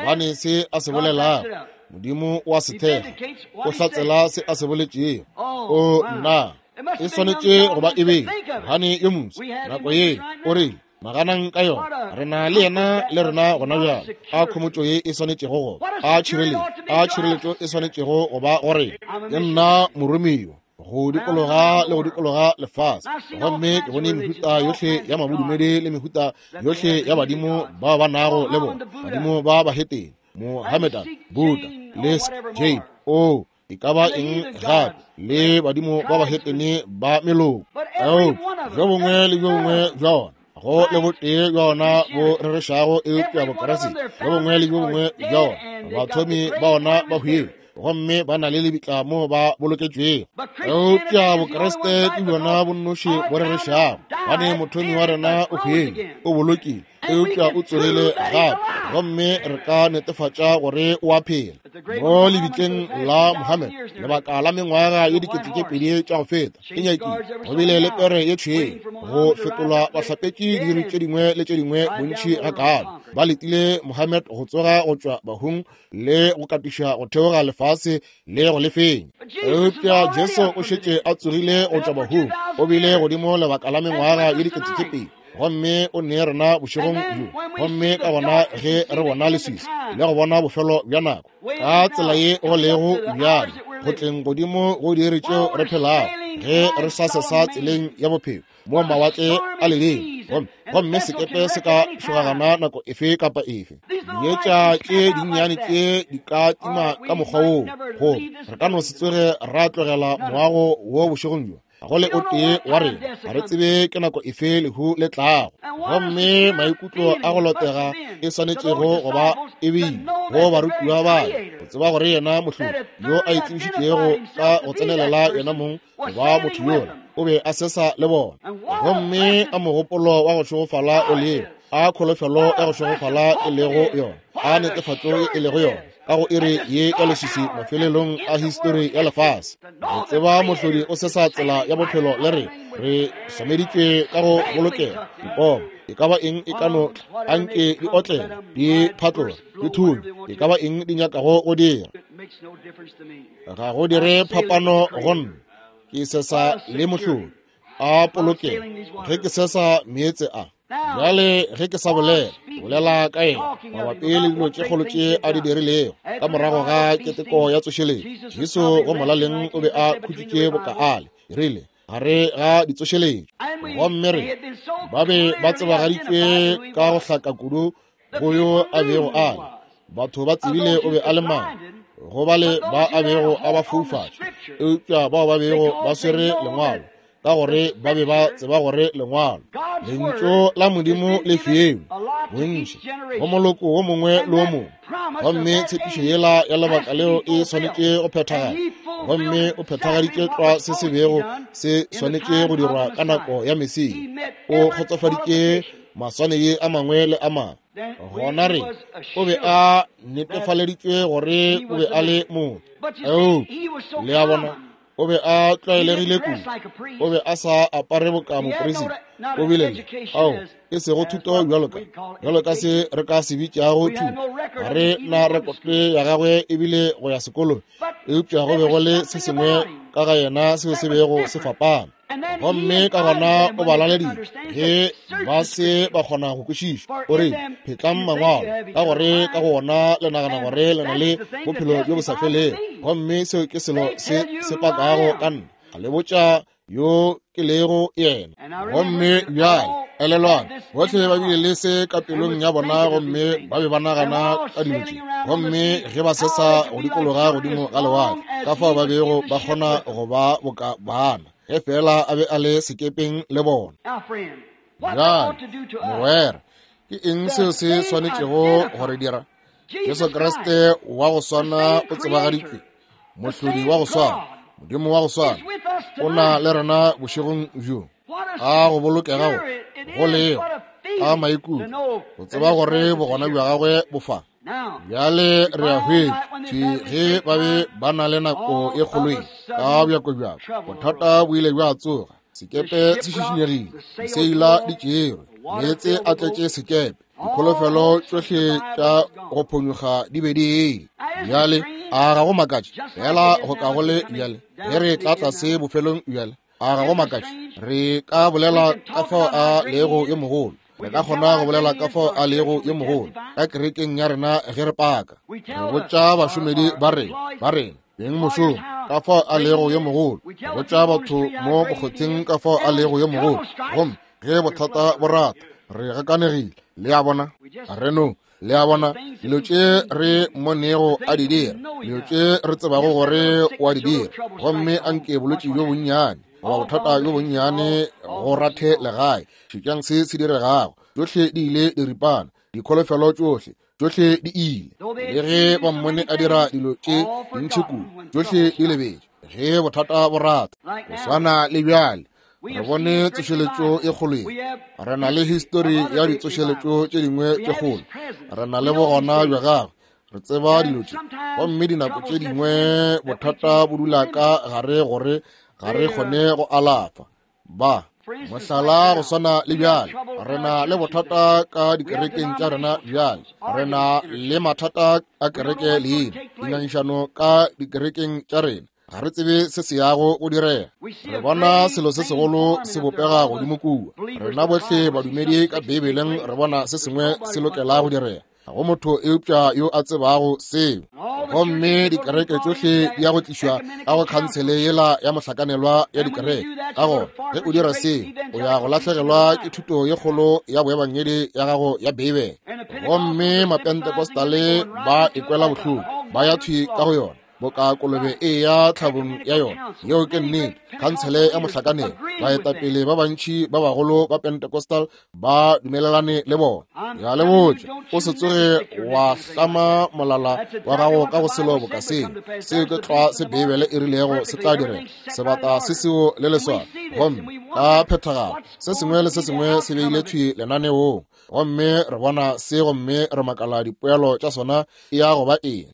[SPEAKER 1] gobane se a se bolelago Modimo o a se thekga, o hlatsela se a se boletšego. O nna, e swanetše go ba e be gane yo moswa nako ye o rile, naganang ka yona, re na le yena le rena gona bjale. A khomotšo ye e swanetšego go ba, a tšhireletšo, a tšhireletšo e swanetšego go ba go rena. Ke nna moromiwa go dikologa le go dikologa lefase, gomme ke bone mehuta yohle ya mabodumedi le mehuta yohle ya badimo bao ba nago le bona, badimo ba bahetene, Mohammedan, Buddha, le Jain. O, e ka ba eng gape le badimo ba bahetene ba meloko. Eupša bjo bongwe le bjo bongwe bja ona, go le botee bja ona bo rerešago, eupša Bokriste bjo bongwe le bjo bongwe bja ona, bathomi ba ona ba hwile gomme ba na le lebitla mo ba boloketšwego. Eupša Bokriste ke bjona bo nnoši bo rerešago, gobane mothomi wa rena o hwile, o bolokile, eupša o tsogile gape, gomme re ka netefatša gore o a phela. Mo lebitleng la Mohammed, lebaka la mengwaga ye 2000 tša go feta, e nyakile go bile le pere ye tšhweu go fetolwa bahlapetši diiri tše dingwe le tše dingwe bontši gakaalo. Ba letile Mohammed go tsoga go tšwa bahung le go katiša go theoga lefase le go lefeng. Eupša Jesu o šetše a tsogile go tšwa bahung, o bile godimo lebaka la mengwaga ye 2000, gomme o ne rena bošegong bjo. Gomme ka gona ge re bona leswiswi le go bona bofelo bja nako ka tsela ye go lego bjale, go tleng godimo go diiri tšeo re phelago, ge re sa sesa tseleng ya bophelo mo mawatle a leleng, gomme sekepe se ka šogagana nako efe kapa efe. Dietša tše dinnyane tše di ka tima ka mokgwa woo, goba re ka no se tsoge ra tlogela moago wo bošegong bjo. Ga go le o tee wa rena, ga re tsebe ke nako efe lehu le tlago. Gomme maikutlo a go lotega e swanetšego go ba e bile go barutiwa ba go tseba gore yena mohlodi yo a itsebišitšego ka go tsenelela yena mong go ba motho yola o be a sesa le bona. Gomme a mogopolo wa go šegofala o lego, a kholofelo ya go šegofala e lego yona, a netefatšo e lego yona ka go iri ye ya leswiswi mafelelong a histori ya lefase. Re tseba mohlodi o sesa tsela ya bophelo le re re swameeditšwe ka go bolokega. Dipomo e ka ba eng e ka no tla, anke di otlele, di phatloge, di thunye, e ka ba eng di nyakago go dira, ga go dire phapano go nna. Ke sesa le mohlodi a polokego ge ke sesa meetse a. Bjale ge ke sa bolela, bolela ka yena mabapi le dilo tše kgolo tše a di dirilego ka morago ga keteko ya tsošeletšo. Jesu go molaleng o be a khutšitše boka ale rile gare ga ditsošeletšo, gomme re ba be ba tsebagaditšwe ka go hlaka kudu go yo a bego a le. Batho ba tsebile o be a le mang, go bale ba a bego a ba foufatša, eupša bao ba bego ba swere lengwalo, ka gore ba be ba tseba gore lengwalo, lentšu la Modimo le fiwe bontši go moloko wo mongwe le wo mongwe, gomme tshepišo yela ya lebaka leo e swanetše go phethagala, gomme o phethagaditše tlwa se se bego se swanetše go dirwa ka nako ya Mesia. O kgotsofaditše maswanedi a mangwe le a mangwe. Gona re o be a netefaleditšwe gore o be a le motho. Eupša le a bona, o be a tlwaelegile kudu, o be a sa apare boka moperisita. O bile le, ao, e sego thuto bjalo ka, bjalo ka se re ka se bitšago thuto. Ga re na rekote ya gagwe ebile go ya sekolong, eupša go be go le se sengwe ka ga yena seo se bego se fapana. Gomme ka gona o ba laleditše ge ba se ba kgona go kwešiša. O re, Phetlang mangwalo, ka gore ka go ona le nagana gore le na le bophelo bjo bo sa felego, gomme seo ke selo se se pakago ka nna. A le botša yo ke lego yena. Gomme bjale elelwang, bohle ba bile le se ka pelong ya bona, gomme ba be ba nagana ka dilo tše. Gomme ge ba sesa go dikologa godimo ga lewatle, ka fao ba bego ba kgona go ba boka bana, ge feela a be a le sekepeng le bona. Bjale, mogwera, ke eng seo se swanetšego go re dira? Jesu Kriste wa go swana o tsebagaditšwe, mohlodi wa go swana, Modimo wa go swana, o na le rena bošegong bjo. A go bolokegago go lego a maikutlo go tseba gore bogona bja gagwe bo fa. Bjale re a hwetša ge ba be ba na le nako e kgolo ye ka bjako bjako, bothata bo ile bja tsoga, sekepe se šišinyegile, diseila di tšerwe, meetse a tletše sekepe, dikholofelo tšohle tša go phonyokga di be di ile. Bjale a ga go makatše fela go ka go le bjale ge re tla tlase bofelong bjale, a ga go makatše re ka bolela ka fao a lego yo mogolo. Re ka kgona go bolela ka fao a lego yo mogolo ka kerekeng ya rena ge re paka. Re botša bašomedi ba rena, ba rena beng mošomo, ka fao a lego yo mogolo. Re botša batho mo mokgotheng ka fao a lego yo mogolo. Gomme ge bothata bo rata, re gakanegile. Le a bona? Re no Le a bona, dilo tše re mmonego a di dira, dilo tše re tsebago gore o a di dira, gomme a nke bolwetši bjo bonnyane goba bothata bjo bonnyane go rathe legae. Šetšang se se diregago. Tšohle di ile diripana, dikholofelo tšohle, tšohle di ile. Le ge ba mmone a dira dilo tše dintši kudu, tšohle di lebetše ge bothata bo rata. Go swana le bjale, re bone tsošeletšo e kgolo ye. Re na le histori ya ditsošeletšo tše dingwe tše kgolo. Re na le bogona bja gagwe. Re tseba dilo tše. Gomme dinako tše dingwe bothata bo dula ka gare gore ga re kgone go alafa. Ba mohlala go swana le bjale, re na le bothata ka dikerekeng tša rena bjale. Re na le mathata a kereke leina, dingangišano ka dikerekeng tša rena. Ga re tsebe se se yago go direga. Re bona selo se segolo se bopega godimo kua. Rena bohle badumedi ka Beibeleng re bona se sengwe se lokela go direga. Ga go motho eupša yo a tsebago seo. Gomme dikereke tšohle di ya go tlišwa ka go khansele yela ya mohlakanelwa ya dikereke. Ka gona ge o dira seo, o ya go lahlegelwa ke thuto ye kgolo ya boebangedi ya gago ya Beibele. Gomme Mapentecostale ba ikwela bohloko, ba ya thwi ka go yona boka kolobe e ya tlhabong ya yona. Yeo ke nnete. Khansele ya mohlakanelo, baetapele ba bantši ba bagolo ba Pentecostal ba dumelelane le bona. Ya le botša, o se tsoge wa hlama molala wa gago ka go selo boka seo. Seo ke tlwa se Beibele e rilego se tla direga. Sebata se seo le leswao, gomme ka phethagalo se sengwe le se sengwe se beile thwi lenaneong. Gomme re bona se, gomme re makala dipoelo tša sona e ya go ba eng.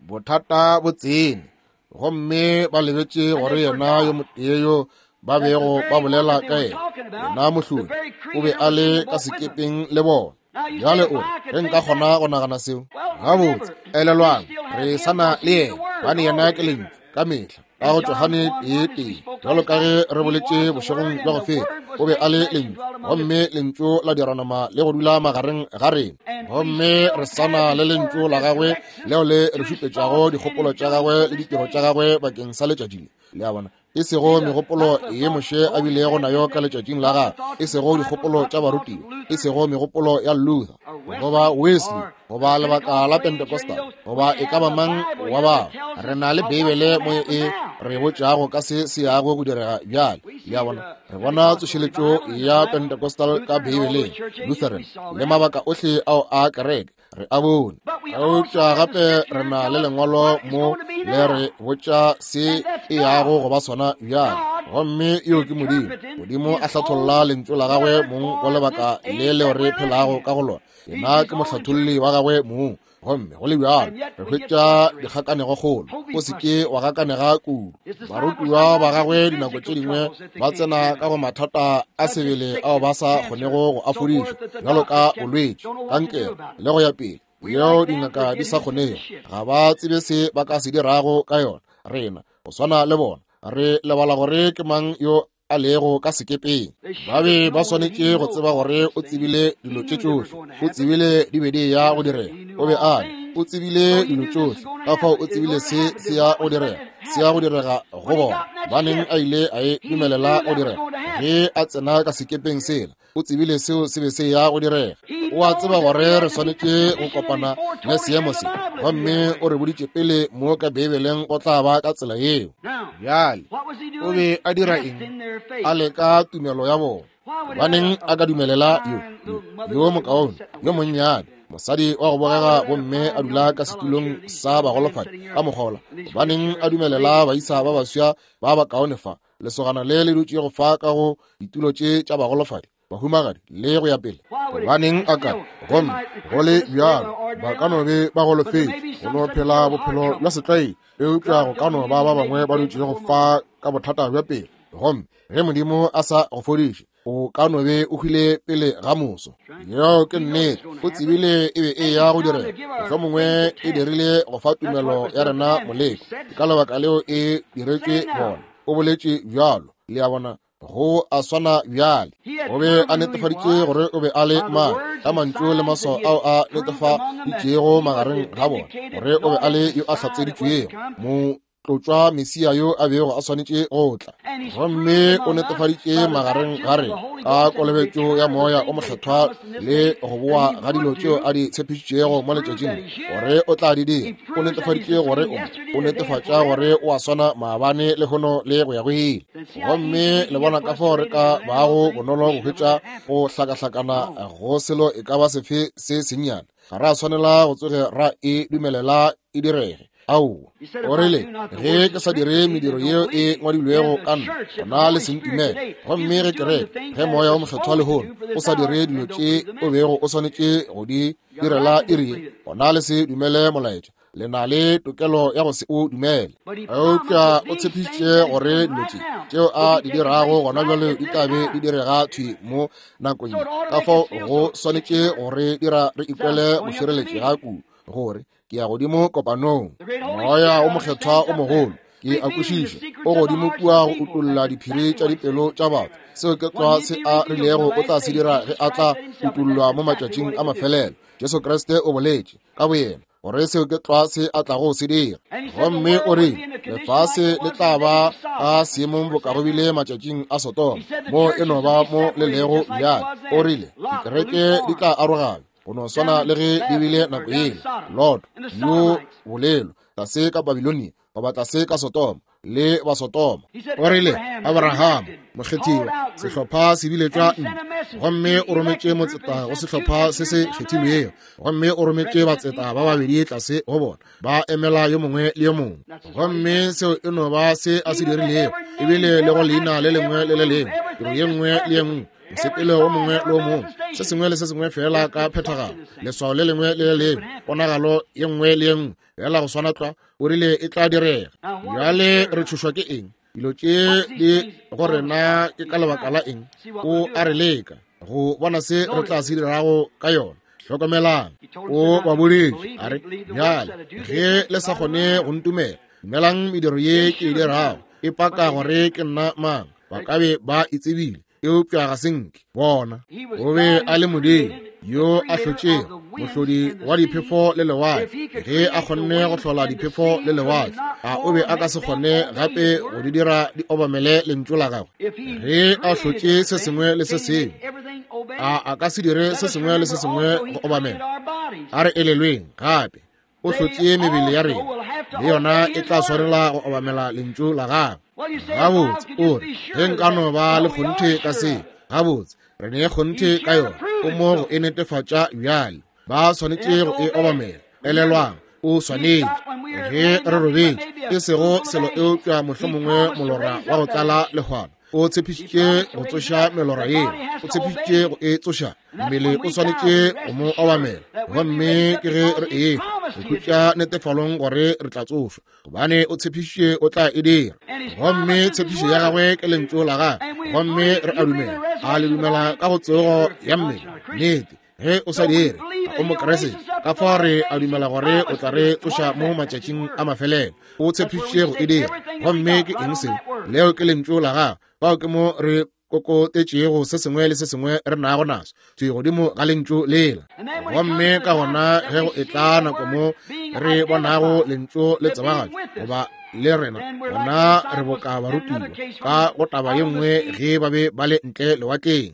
[SPEAKER 1] Bothata bo tsene, gomme ba lebetše gore yena yo motee yo ba bego ba bolela ka yena, yena mohlodi, o be a le ka sekepeng le bona. Bjale o re, ge nka kgona go nagana seo gabotse. Elelwang, re sa na le yena, gobane yena ke Lentšu ka mehla. Ka go Johane 1:1, bjalo ka ge re boletše bošegong bja go feta, o be a le Lentšu, gomme Lentšu la dira nama le go dula magareng ga rena. Gomme re sana le Lentšu la gagwe leo le re šupetšago dikgopolo tša gagwe le ditiro tša gagwe bakeng sa letšatši le. Le a bona? E sego megopolo ye Moshe a bilego nayo ka letšatšing la gagwe, e sego dikgopolo tša barutiwa, e sego megopolo ya Luther goba Wesley goba lebaka la Pentecostal goba e ka ba mang wa bao. Re na le Beibele mo e re botšago ka se se yago go direga bjale. Le a bona? Re bona tsošeletšo ya Pentecostal ka Beibeleng, Lutheran le mabaka ohle ao a kereke, re a bone. Eupša gape re na le lengwalo mo le re botša se e yago go ba sona bjale, gomme yo ke Modimo. Modimo a hlatholla lentšu la gagwe mong go lebaka le leo re phelago ka go lona. Yena ke mohlatholli wa gagwe mong. Gomme go le bjalo re hwetša dikgakanego kgolo. O se ke wa gakanega kudu. Barutiwa ba gagwe dinako tše dingwe ba tsena ka go mathata a sebele ao ba sa kgonego go a fodiša, bjalo ka bolwetši, kankere le go ya pele, yeo dingaka di sa kgonego, ga ba tsebe se ba ka se dirago ka yona. Rena go swana le bona re lebala gore ke mang yo a lego ka sekepeng. Ba be ba swanetše go tseba gore o tsebile dilo tše tšohle, o tsebile di be di ya go direga. O be a le, o tsebile dilo tšohle, ka fao o tsebile se se ya go direga, se ya go direga go bona. Baneng a ile a e dumelela go direga ge a tsena ka sekepeng sela, o tsebile seo se be se ya go direga. O a tseba gore re swanetše go kopana le seemo se, gomme o re boditše pele mo ka Beibeleng go tla ba ka tsela yeo. Bjale o be a dira eng? A leka tumelo ya bona. Gobaneng a ka dumelela yo, yo mokaone, yo monnyane mosadi wa go bogega gomme a dula ka setulong sa bagolofadi ka mokgola? Gobaneng a dumelela baisa ba baswa ba bakaone fa, lesogana le le dutšego fa ka go ditulo tše tša bagolofadi, bahumagadi le go ya pele? Gobaneng a ka? Gomme go le bjalo ba ka no be ba golofetše go no phela bophelo bja setlwaedi, eupša go ka no ba ba bangwe ba dutšego fa ka bothata bja pelo. Gomme ge Modimo a sa go fodiše, o ka no be o hwile pele ga moso. Yeo ke nnete. O tsebile e be e ya go direga. Mohlomongwe e dirile go fa tumelo ya rena moleko. Ke ka lebaka leo e diretšwe bona. O boletše bjalo. Le a bona? Go a swana bjale. O be a netefaditše gore o be a le mang ka mantšu le maswao ao a netefaditšego magareng ga bona gore o be a le yo a hlatseditšwego. Motlotšwa Mesia yo a bego a swanetše go tla. Gomme o netefaditše magareng ga rena ka kolobetšo ya Moya o Mokgethwa le go boa ga dilo tšeo a di tshepišitšego mo letšatšing gore o tla di dira. O netefaditše gore o o netefatša gore o a swana maabane lehono le go ya go ile. Gomme le bona ka fao re ka bago bonolo go hwetša go hlakahlakana go selo e ka ba sefe se sennyane. Ga ra swanela go tsoge ra e dumelela e direge. Aowa. O rile, Ge ke sa dire mediro yeo e ngwadilwego ka nna, gona le se ntumele. Gomme ge kereke, ge Moya wo Mokgethwa lehono o sa dire dilo tše o bego o swanetše go di direla iri ye, gona le se dumele molaetša. Le na le tokelo ya go se o dumele. Eupša o tshepišitše gore dilo tše tšeo a di dirago gona bjale di tla be di direga thwi mo nakong ye. Ka fao go swanetše go re dira re ikwele go šireletšega kudu gore ke ya godimo kopanong. Moya o Mokgethwa o mogolo, ke a kwešiša, o godimo kua go utolla diphiri tša dipelo tša batho. Seo ke tlwa se a rilego o tla se dira ge a tla utollwa mo matšatšing a mafelelo. Jesu Kriste o boletše ka boyena gore seo ke tlwa se a tlago se dira. Gomme o rile lefase le tla ba ka seemong boka go bile matšatšing a Sodoma, mo e no ba mo le lego bjale. O rile dikereke di tla aroganywa go no swana le ge di bile nako yela. Lot yo bolelo tlase ka Babilonia goba tlase ka Sodoma le Basodoma. O rile Abraham mokgethiwa, sehlopha se biletšwa ntle, gomme o rometše motseta go sehlopha se se kgethilwego, gomme o rometše batseta ba babedi tlase go bona, ba emela yo mongwe le yo mongwe. Gomme seo e no ba se a se dirilego, ebile le go leina le lengwe le le lengwe, tiro ye nngwe le ye nngwe, mosepelo wo mongwe le wo mongwe, se sengwe le se sengwe fela ka phethagalo, leswao le lengwe le le lengwe, ponagalo ye nngwe le ye nngwe, fela go swana tlwa. O rile e tla direga. Bjale re tšhošwa ke eng? Dilo tše di go rena ke ka lebaka la eng? O a re leka go bona se re tla se dirago ka yona. Hlokomelang, o ba boditše a re, bjale ge le sa kgone go ntumela, dumelang mediro ye ke e dirago, e paka gore ke nna mang. Ba ka be ba e tsebile, eupša ga se nke bona. O be a le Modimo yo a hlotšego, mohlodi wa diphefo le lewatle. Ge a kgonne go hlola diphefo le lewatle, a o be a ka se kgone gape go di dira di obamele lentšu la gagwe? Ge a hlotše se sengwe le se sengwe, a a ka se dire se sengwe le se sengwe go obamela? A re elelweng gape, o hlotše mebele ya rena, le yona e tla swanela go obamela lentšu la gagwe. Gabotse, o re, ge nka no ba le kgonthe ka se. Gabotse, re ne kgonthe ka yona. O mo go e netefatša bjale. Ba swanetše go e obamela. Elelwang, o swanetše. Ge re robetše, e sego selo eupša mohlomongwe molora wa go tlala lehwana. O tshepišitše go tsoša melora yeo. O tshepišitše go e tsoša. Mmele o swanetše go mo obamela. Gomme ke ge re e go khutša netefalong gore re tla tsošwa, gobane o tshepišitše o tla e dira. Gomme tshepišo ya gagwe ke lentšu la gagwe. Gomme re a dumela. A le dumela ka go tsogo ya mmele? Nnete. Ge o sa dire, ga o Mokriste. Ka fao re a dumela gore o tla re tsoša mo matšatšing a mafelelo. O tshepišitše go e dira. Gomme ke eng seo? Leo ke lentšu la gagwe. Fao ke mo re kokotetšego se sengwe le se sengwe re nago naso thwi godimo ga lentšu lela. Gomme ka gona ge go etla nako mo re bonago lentšu le tsebagatšwa goba le rena, gona re boka barutiwa ka go taba ye nngwe ge ba be ba le ntle lewatleng,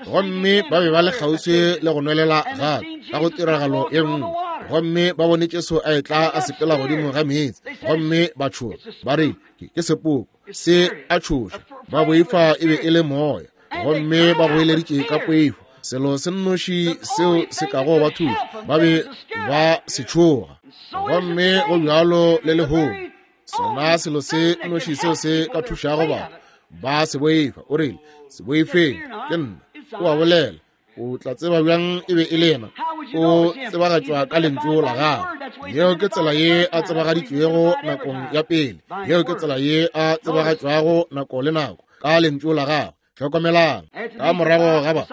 [SPEAKER 1] gomme ba be ba le kgauswi le go nwelela gape ka go tiragalo ye nngwe, gomme ba bone Jesu a etla a sepela godimo ga meetse, gomme ba tšhoga, ba re ke sepoko se a tšhoša, ba boifa e be e le moya, gomme ba goeleditše ka poifo. Selo se nnoši seo se kago ba thuša, ba be ba se tšhoga. Gomme go bjalo le lehono, sona selo se nnoši seo se ka thušago batho, ba se boifa. O rile, se boifeng, ke nna. O a bolela. O tla tseba bjang e be e le yena? O tsebagatšwa ka lentšu la gagwe. Yeo ke tsela ye a tsebagaditšwego nakong ya pele. Yeo ke tsela ye a tsebagatšwago nako le nako, ka lentšu la gagwe. Hlokomelang, ka morago ga ba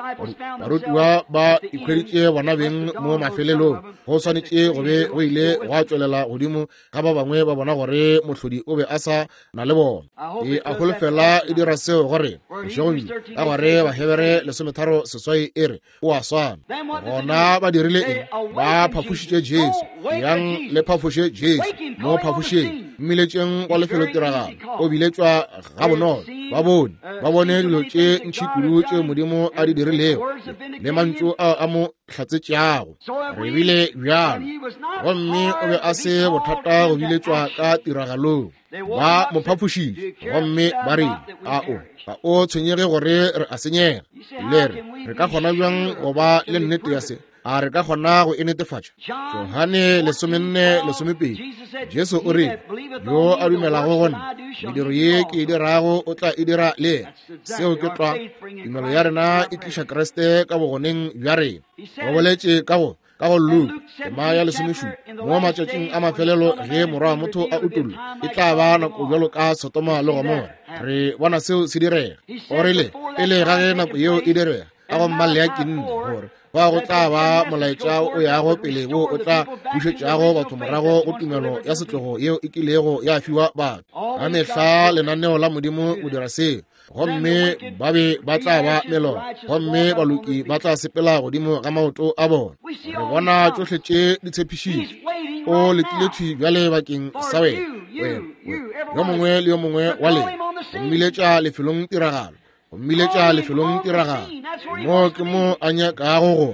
[SPEAKER 1] barutiwa ba ikhweditše bona beng mo mafelelong, go swanetše go be go ile gwa tšwelela godimo ga ba bangwe ba bona gore mohlodi o be a sa na le bona. E a holofela e dira seo gore bošegong bjo, ka gore Bahebere 13:8 e re o a swana. Gona ba dirile eng? Ba phafošitše Jesu. Yang le phafoše Jesu. Mo phafošeng, mmiletšeng go lefelotiragalo. O biletšwa gabonolo. Ba bone, ba bone dilo tše ntši kudu tše Modimo a di dirilego le mantšu ao a mo hlatsetšago. Re bile bjalo, gomme o be a se bothata go biletšwa ka tiragalong. Ba mo phafošitše gomme ba re, A o ga o tshwenyege gore re a senyega? Le re, re ka kgona bjang go ba le nnete ya se? A re ka kgona go e netefatša? Johane 14:12, Jesu o rile, Yo a dumelago go nna, mediro ye ke e dirago o tla e dira le yena. Seo ke tlwa. Tumelo ya rena e tliša Kriste ka bogoneng bja rena. O boletše ka go ka go Luka tema ya 17, mo matšatšing a mafelelo ge Morwa wa motho a utollwa, e tla ba nako bjalo ka Sodoma le Gomora. Re bona seo se direga. O rile pele ga ge nako yeo e direga, ka go mmalea ke nne gore ba go tla ba molaetša o yago pele wo o tla bušetšago batho morago go tumelo ya setlogo yeo e kilego ya fiwa batho. Ka mehla lenaneo la Modimo go dira seo, gomme ba be ba tla ba melora, gomme baloki ba tla sepela godimo ga maoto a bona. Re bona tšohle tše di tshepišitšwe. O letile thwi bjale bakeng sa wena, wena, wena, yo mongwe le yo mongwe wa lena, go mmiletša lefelong tiragalo, go mmiletša lefelong tiragalo. Mo ke mo a nyakago go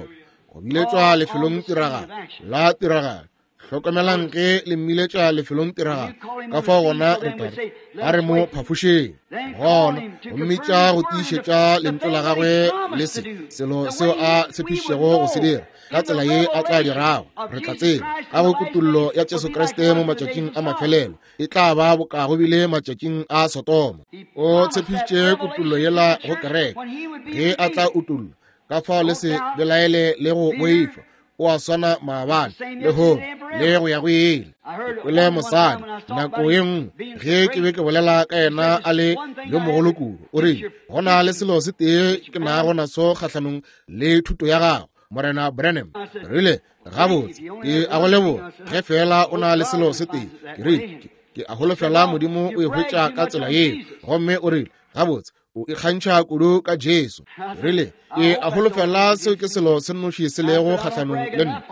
[SPEAKER 1] go biletšwa lefelong tiragalo la tiragalo. Hlokomelang ge le mmiletša lefelong tiragalo, ka fao gona re tla re, a re mo phafošeng. Gona go mmitša go tiišetša lentšu la gagwe le se selo seo a tshepišitšego go se dira, ka tsela ye a tla dirago. Re tla tseba ka go kutollo ya Jesu Kriste mo matšatšing a mafelelo e tla ba boka go bile matšatšing a Sodoma. O tshepišitše kutollo yela go kereke ge a tla utollwa, ka fao le se belaele le go boifa. O a swana maabane, lehono, le go ya go ile. Ke kwele mosadi nako ye nngwe ge ke be ke bolela ka yena a le yo mogolo kudu, o rile, go na le selo se tee ke nago naso kgahlanong le thuto ya gago, Morena Branham. Rile, gabotse, ke a go leboga ge fela o na le selo se tee. Ke rile, ke a holofela Modimo o e hwetša ka tsela yeo. Gomme o rile, gabotse, o ikgantšha kudu ka Jesu. Rile, ke a holofela seo ke selo se nnoši se lego kgahlanong le nna.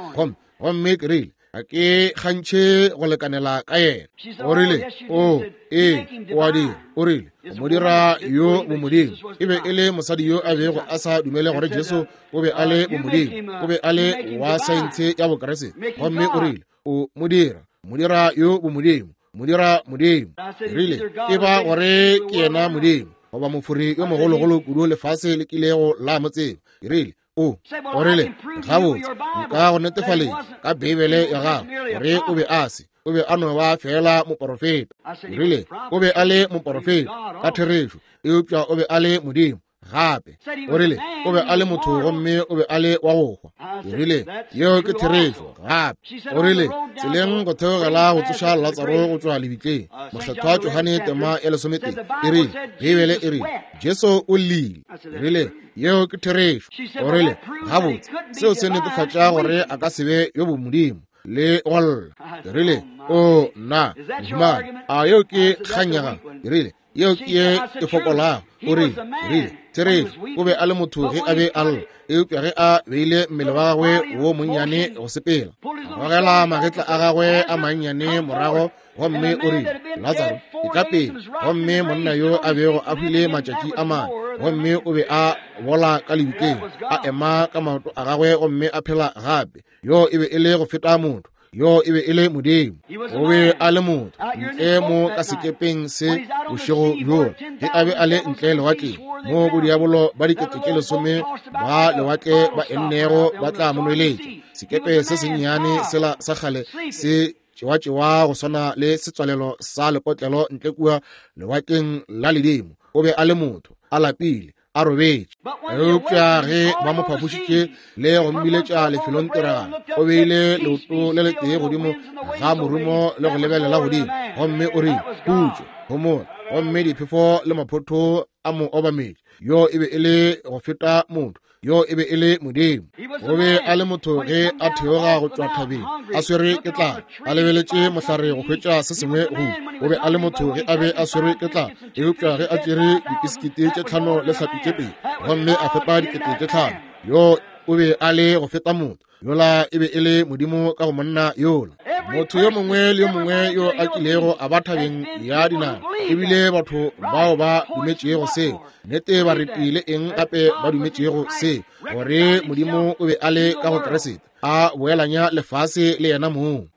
[SPEAKER 1] Gomme ke rile, ga ke kgantšhe go lekanela ka yena. O rile, o, ee, o a dira. O rile, o mo dira yo bomodimo. E be e le mosadi yo a bego a sa dumele gore Jesu o be a le bomodimo. O be a le wa saense ya Bokriste. Gomme o rile, o mo dira, mo dira yo bomodimo, mo dira Modimo. Rile, e ba gore ke yena Modimo, goba mofori yo mogologolo kudu lefase le kilego la mo tseba. Rile, o, o rile, gabotse, nka go netefaletša ka Beibele ya gago gore o be a se, o be a no ba feela moporofeta. Rile, o be a le moporofeta ka therešo, eupša o be a le Modimo gape. O rile, o be a le motho gomme o be a le wa go hwa. Ke rile, yeo ke therešo gape. O rile, tseleng go theogela go tsoša Latsaro go tšwa lebitleng, Mokgethwa Johane tema ya 11 e rile, Beibele e rile, Jesu o llile. Ke rile, yeo ke therešo. O rile, gabotse, seo se netefatša gore a ka se be yo bomodimo le go lla. Ke rile, o nna, mohumagadi, a yeo ke kgang ya gago? Ke rile, yeo ke ye e fokolago. O rile, rile, therešo, o be a le motho ge a be a lla, eupša ge a beile mmele wa gagwe wo monnyane go sepela, a gogela magetla a gagwe a mannyane morago, gomme o rile, Latsaro, etla pele. Gomme monna yo a bego a hwile matšatši a mane, gomme o be a bola ka lebitleng, a ema ka maoto a gagwe gomme a phela gape. Yo e be e le go feta motho, yo e be e le Modimo. O be a le motho ntle mo ka sekepeng se bošego bjo, ge a be a le ntle lewatleng, mo bodiabolo ba 10,000 ba lewatle ba ennego ba tla mo nweletša. Sekepe se sennyane sela sa kgale se tšewatšewa go swana le setswalelo sa lepotlelo ntle kua lewatleng la ledimo. O be a le motho, a lapile, a robetše. Eupša ge ba mo phafošitše le go mmiletša lefelong tiragalo, o beile leoto le letee godimo ga morumo le go lebelela godimo, gomme o rile, Khutšo, homola. Gomme diphefo le maphotho a mo obametše. Yo e be e le go feta motho, yo e be e le Modimo. O be a le motho ge a theoga go tšwa thabeng, a swere ke tlala, a lebeletše mohlare go hwetša se sengwe go. O be a le motho ge a be a swere ke tlala, eupša ge a tšere dipisikiti tše 5 le hlapi tše 2 gomme a fepa 5,000, yo o be a le go feta motho. Yola e be e le Modimo ka go monna yola. Motho yo mongwe le yo mongwe yo a kilego a ba thabeng ya dinaga, ebile batho bao ba dumetšego seo, nnete ba retile eng gape ba dumetšego seo, gore Modimo o be a le ka go Kriste, a boelanya lefase le yena mong.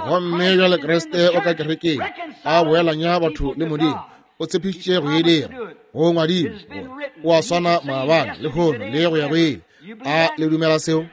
[SPEAKER 1] Gomme bjale Kriste o ka kerekeng, a boelanya batho le Modimo. O tshepišitše go e dira. Go ngwadilwe gore o a swana maabane, lehono le go ya go ile. A le dumela seo?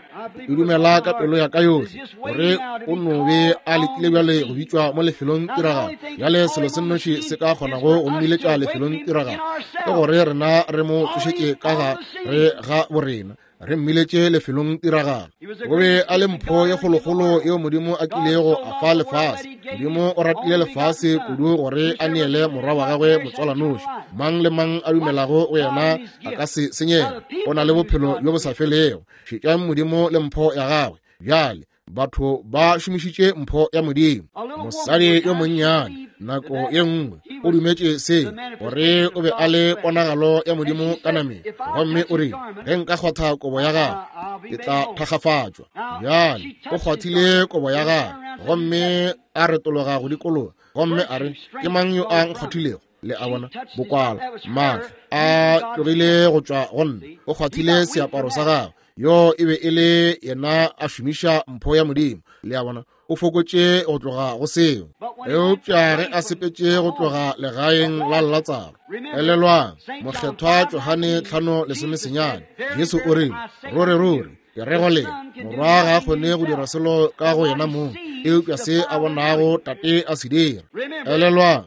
[SPEAKER 1] Le dumela ka pelo ya ka yohle gore o no be a letile bjale go bitšwa mo lefelong tiragalo. Bjale selo se nnoši se ka kgonago go mmiletša lefelong tiragalo ke gore rena re mo tsošetše ka ga re ga borena, re mmiletše lefelong tiragalo. O be a le mpho ye kgolokgolo yeo Modimo a kilego a fa lefase. Modimo o ratile lefase kudu gore a neele morwa wa gagwe motswalanoši. Mang le mang a dumelago go yena a ka se senyege, o na le bophelo bjo bo sa felego. Šetšang Modimo le mpho ya gagwe. Bjale batho ba šomišitše mpho ya Modimo. Mosadi yo monnyane nako ye nngwe o dumetše se, gore o be a le ponagalo ya Modimo ka nameng, gomme o rile, ge nka kgwatha kobo ya gagwe ke tla thakgafatšwa. Bjale o kgwathile kobo ya gagwe gomme a retologa go dikologa, gomme a re, ke mang yo a nkgwathilego? Le a bona, bokwala, maatla a tlogile go tšwa go nna. O kgwathile seaparo sa gagwe. Yo e be e le yena a šomiša mpho ya Modimo. Le a bona, o fokotše go tloga go seo. Eupša ge a sepetše go tloga legaeng la Latsaro, elelwang, Mokgethwa Johane 5:19, Jesu o rile, ruri ruri ke re go lena, morwa ga a kgone go dira selo ka go yena mong, eupša se a bonago Tate a se dira. Elelwang,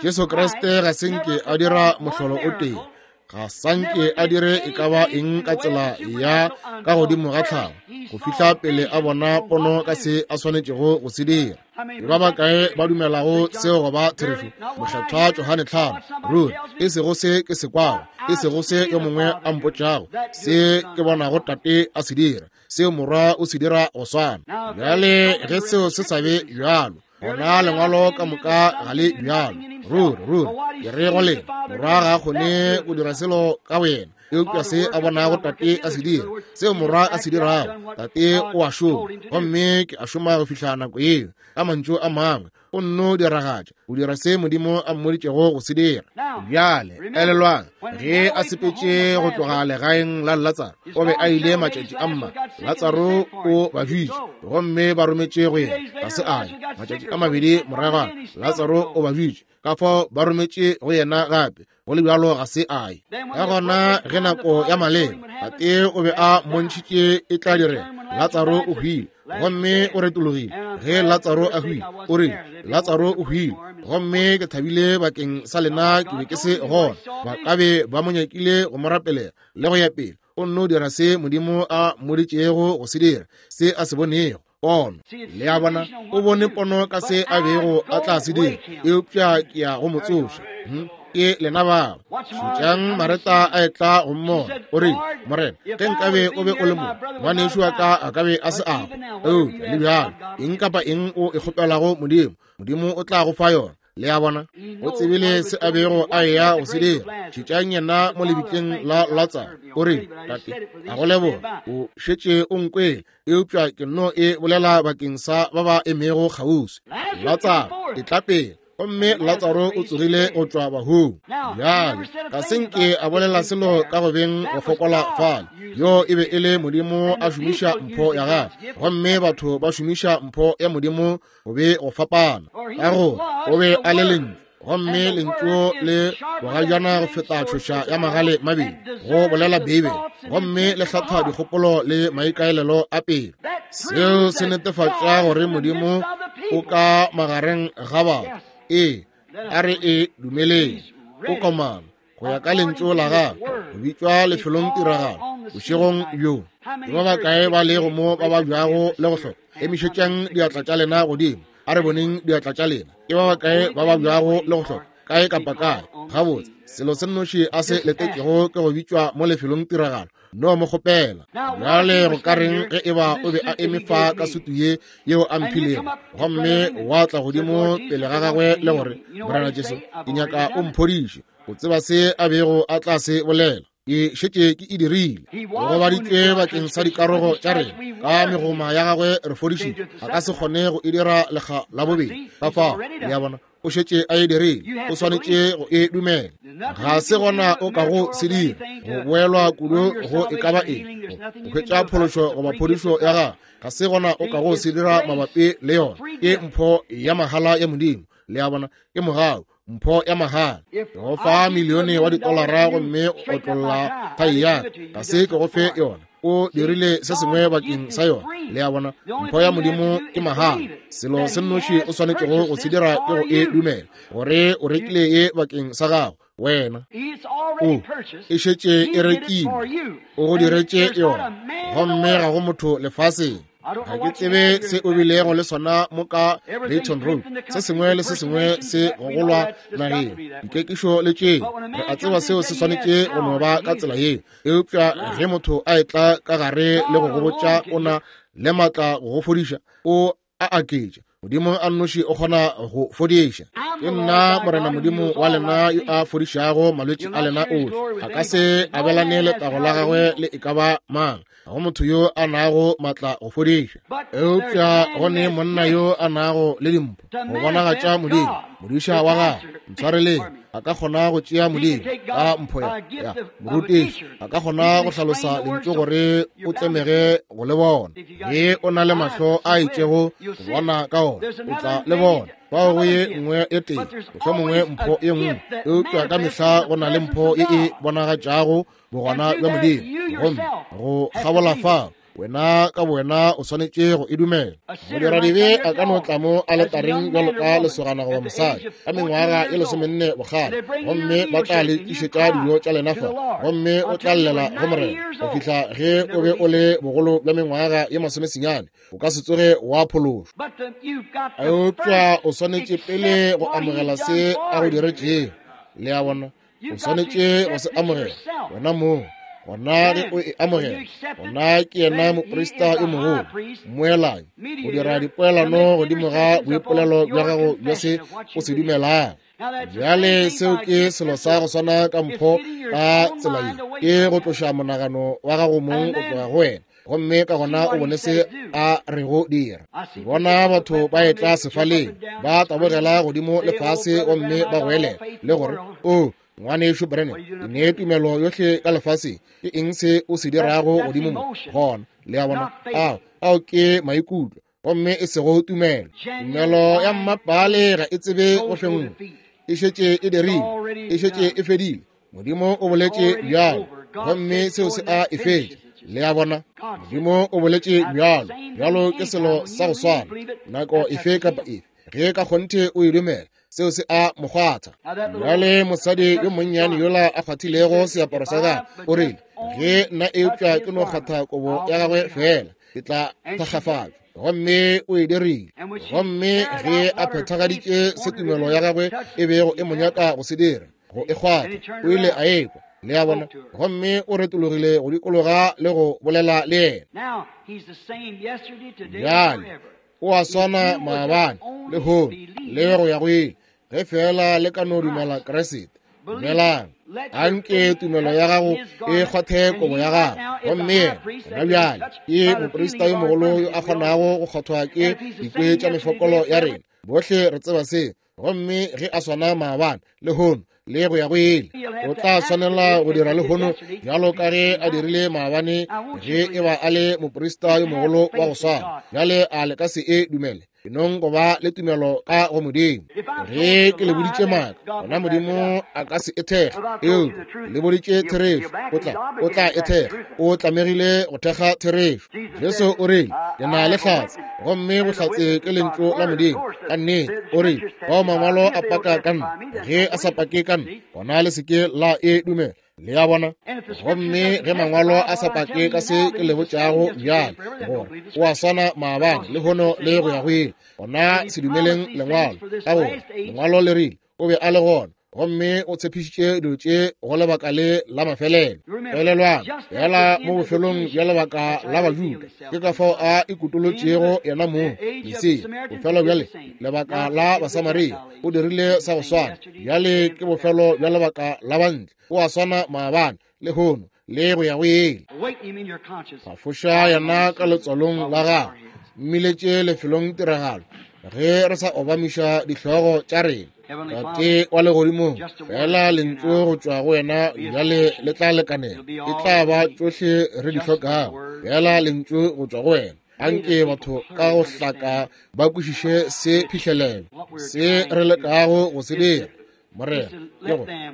[SPEAKER 1] Jesu Kriste ga se nke a dira mohlolo o tee, ga sanke a dire e ka ba eng ka tsela ya ka godimo ga tlhago go fihla pele a bona pono ka se a swanetšego go se dira. Ke ba bakae ba dumelago seo go ba therešo? Mokgethwa Johane 5, ruri, e sego se ke se kwago, e sego se yo mongwe a mpotšago, se ke bonago Tate a se dira, seo Morwa o se dira go swana. Bjale ge seo se sa be bjalo, gona lengwalo ka moka ga le bjalo. Ruri ruri ke re go lena, Morwa ga a kgone go dira selo ka boyena, eupša se a bonago Tate a se dira, seo Morwa a se dirago, Tate o a šoma, gomme ke a šoma go fihla nako yeo. Ka mantšu a mangwe, o nno diragatša, o dira se Modimo a mmoditšego go se dira. Bjale elelwang, ge a sepetše go tloga legaeng la Latsaro, o be a ile matšatši a mma. Latsaro o ba bitše gomme ba rometše go yena, ga se a ya. Matšatši a mabedi moragwana, Latsaro o ba bitše, ka fao ba rometše go yena gape, go le bjalo ga se a ye. Ka gona ge nako ya maleba, Tate o be a mmontšhitše e tla direga, Latsaro o hwile, gomme o retologile. Ge Latsaro a hwile, o rile, Latsaro o hwile, gomme ke thabile bakeng sa lena ke be ke se gona. Ba ka be ba mo nyakile go mo rapelela le go ya pele. O nno dira se Modimo a mmoditšego go se dira, se a se bonego. Pono. Le a bona, o bone pono ka se a bego a tla se dira, eupša ke ya go mo tsoša. Ke lena bao. Šetšang Mareta a etla go mmona. O rile, Morena, ge nkabe o be o le mo, ngwanešu wa ka a ka be a se a hwa. Eupša le bjalo, eng kapa eng o e kgopelago Modimo, Modimo o tla go fa yona. Le a bona, o tsebile se a bego a eya go se dira. Šetšang yena mo lebitleng la Latsaro. O rile, Tate, a go leboga, o šetše o nkwele, eupša ke nno e bolela bakeng sa ba ba emego kgauswi. Latsaro, etla pele. Gomme Latsaro o tsogile go tšwa bahung. Bjale ga se nke a bolela selo ka go beng go fokola fale. Yo e be e le Modimo a šomiša mpho ya gagwe, gomme batho ba šomiša mpho ya Modimo go be go fapana, ka gore o be a le Lentšu, gomme Lentšu le bogajana go feta tšhoša ya magale mabedi, go bolela Beibele, gomme le hlatha dikgopolo le maikaelelo a pelo. Seo se netefatša gore Modimo o ka magareng ga batho. Ee, a re e dumeleng. O komana go ya ka lentšu la gagwe, go bitšwa lefelong tiragalo bošegong bjo. Ke ba bakae ba lego mo ba babjago le go hloka? Emišetšang diatla tša lena godimo. A re boneng diatla tša lena. Ke ba bakae ba babjago le go hloka? kae kapa kae. Gabotse, selo se nnoši a se letetšego ke go bitšwa mo lefelong tiragalo. No mo kgopela. Bjale go ka reng ge eba o be a eme fa ka sutu ye yeo a mphilego, gomme wa tla godimo pele ga gagwe le gore, Morena Jesu, ke nyaka o mphodiše. O tseba se a bego a tla se bolela? Ke šetše ke e dirile. O gobaditšwe bakeng sa dikarogo tša rena, ka megoma ya gagwe re fodišitšwe. A ka se kgone go e dira lekga la bobedi. Ka fao, le a bona, o šetše a e dirile. O swanetše go e dumela. Ga se gona o ka go se dira, go boelwa kudu go e ka ba eng, go hwetša phološo goba phodišo ya gago. Ga se gona o ka go se dira mabapi le yona. Ke mpho ya mahala ya Modimo. Le a bona, ke mogau, mpho ya mahala. Ke go fa milione wa ditolara gomme o otlolla thai ya ka, ga se ke go fe yona. O dirile se sengwe bakeng sa yona. Le a bona, mpho ya Modimo ke mahala. Selo se nnoši o swanetšego go se dira ke go e dumela, gore o rekile ye bakeng sa gago. Wena o e šetše e rekilwe, o go diretše yona, gomme ga go motho lefaseng. Ga ke tsebe se o bilego le sona mo ka Dayton Road. Se sengwe le se sengwe se gogolwa nageng, dikekišo le tšeo. Re a tseba seo se swanetše go no ba ka tsela yeo. Eupša ge motho a etla ka gare le go go botša o na le maatla go go fodiša, o a aketša. Modimo a nnoši o kgona go fodiša. Ke nna Morena Modimo wa lena yo a fodišago malwetši a lena ohle. A ka se abelane letago la gagwe le e ka ba mang. Ga go motho yo a nago maatla go fodiša. Eupša go ne monna yo a nago le dimpho go bonagatša Modimo, modiša wa gagwe. Ntshwareleng, a ka kgona go tšea Modimo ka mpho ya morutiši. A ka kgona go hlalosa lentšu gore o tlemege go le bona. Ge o na le mahlo a itšego go bona ka ona, o tla le bona. Fao go ye nngwe e tee, mohlomongwe mpho ye nngwe, eupša ka mehla go na le mpho ye e bonagatšago bogona bja Modimo. Gomme go kgabola fao, wena ka bowena o swanetše go e dumela. Modiradibe a ka no tla mo aletareng bjalo ka lesogana goba mosadi ka mengwaga ye 14 bokgale, gomme ba tla le tlišetša dijo tša lena fa, gomme o tla llela go Morena go fihla ge o be o le bogolo bja mengwaga ye 19. O ka se tsoge wa phološwa. Eupša o swanetše pele go amogela se a go diretšego. Le a bona? O swanetše go se amogela wena mong. Gona ge o e amogela, gona ke yena moprista yo mogolo, mmoelanyi, go dira dipoelano godimo ga boipolelo bja gago bja se o se dumelago. Bjale seo ke selo sa go swana ka mpho ka tsela ye, ke go tloša monagano wa gago mong go tloga go wena, gomme ka gona o bone se a rego dira. Ke bona batho ba etla sefaleng, ba tabogela godimo le fase gomme ba goelela le gore, O ngwanešu Branham, ke ne tumelo yohle ka lefaseng. Ke eng se o se dirago godimo mo? Gona, le a bona, ao ke maikutlo, gomme e sego tumelo. Tumelo ya mmapale ga e tsebe go fenngwa. E šetše e dirile, e šetše e fedile. Modimo o boletše bjalo, gomme seo se a e fetša. Le a bona, Modimo o boletše bjalo. Bjalo ke selo sa go swana nako efe kapa efe. Ge ka kgonthe o e dumela, seo se a mo kgwatha. Bjale mosadi yo monnyane yola a kgwathilego seaparo sa gagwe, o rile, Ge nna eupša ke no kgwatha kobo ya gagwe feela, ke tla thakgafatšwa. Gomme o e dirile. Gomme ge a phethagaditše se tumelo ya gagwe e bego e mo nyaka go se dira, go e kgwatha, o ile a ekwa. Le a bona? Gomme o retologile go dikologa le go bolela le yena. Bjale o a swana maabane, lehono, le go ya go ile, ge feela le ka no dumela Kriste. Dumelang. Anke tumelo ya gago e kgwathe kobo ya gago. Gomme yena gona bjale ke moprista yo mogolo yo a kgonago go kgwathwa ke dikwe tša mefokolo ya rena. Bohle re tseba seo. Gomme ge a swana maabane, lehono, le go ya go ile, o tla swanela go dira lehono bjalo ka ge a dirile maabane, ge e ba a le moprista yo mogolo wa go swana. Bjale a le ka se e dumele? Enong go ba le tumelo ka go Modimo. Ge ke le boditše maaka, gona Modimo a ka se e thekge. Eupša le boditše therešo, o tla e thekga. O tlamegile go thekga therešo. Jesu o rile, Ke na le hlatse, gomme bohlatse ke lentšu la Modimo. Ka nnete, o rile, bao mangwalo a paka ka nna. Ge a sa pake ka nna, gona le se ke la e dumela. Le a bona? Gomme ge mangwalo a sa pake ka se ke le botšago bjale, gore o a swana maabane, lehono, le go ya go ile, gona se dumeleng lengwalo, ka gore lengwalo le rile o be a le gona. Gomme o tshepišitše dilo tše go lebaka le la mafelelo. Elelwang, fela mo bofelong bja lebaka la Bajuda, ke ka fao a ikutolotšego yena mong, Mesia. Bofelo bjale lebaka la Basamaria, o dirile sa go swana. Bjale ke bofelo bja lebaka la Bantle. O a swana maabane, lehono, le go ya go ile. Phafoša yena ka letswalong la gago, mmiletše lefelong tiragalo, ge re sa obamiša dihlogo tša rena. Tate wa legodimong, fela lentšu go tšwa go wena bjale le tla lekanela, e tla ba tšohle re di hlokago. Fela lentšu go tšwa go wena. Anke batho ka go hlaka ba kwešiše se phihlelelo se re lekago go se dira, Morena,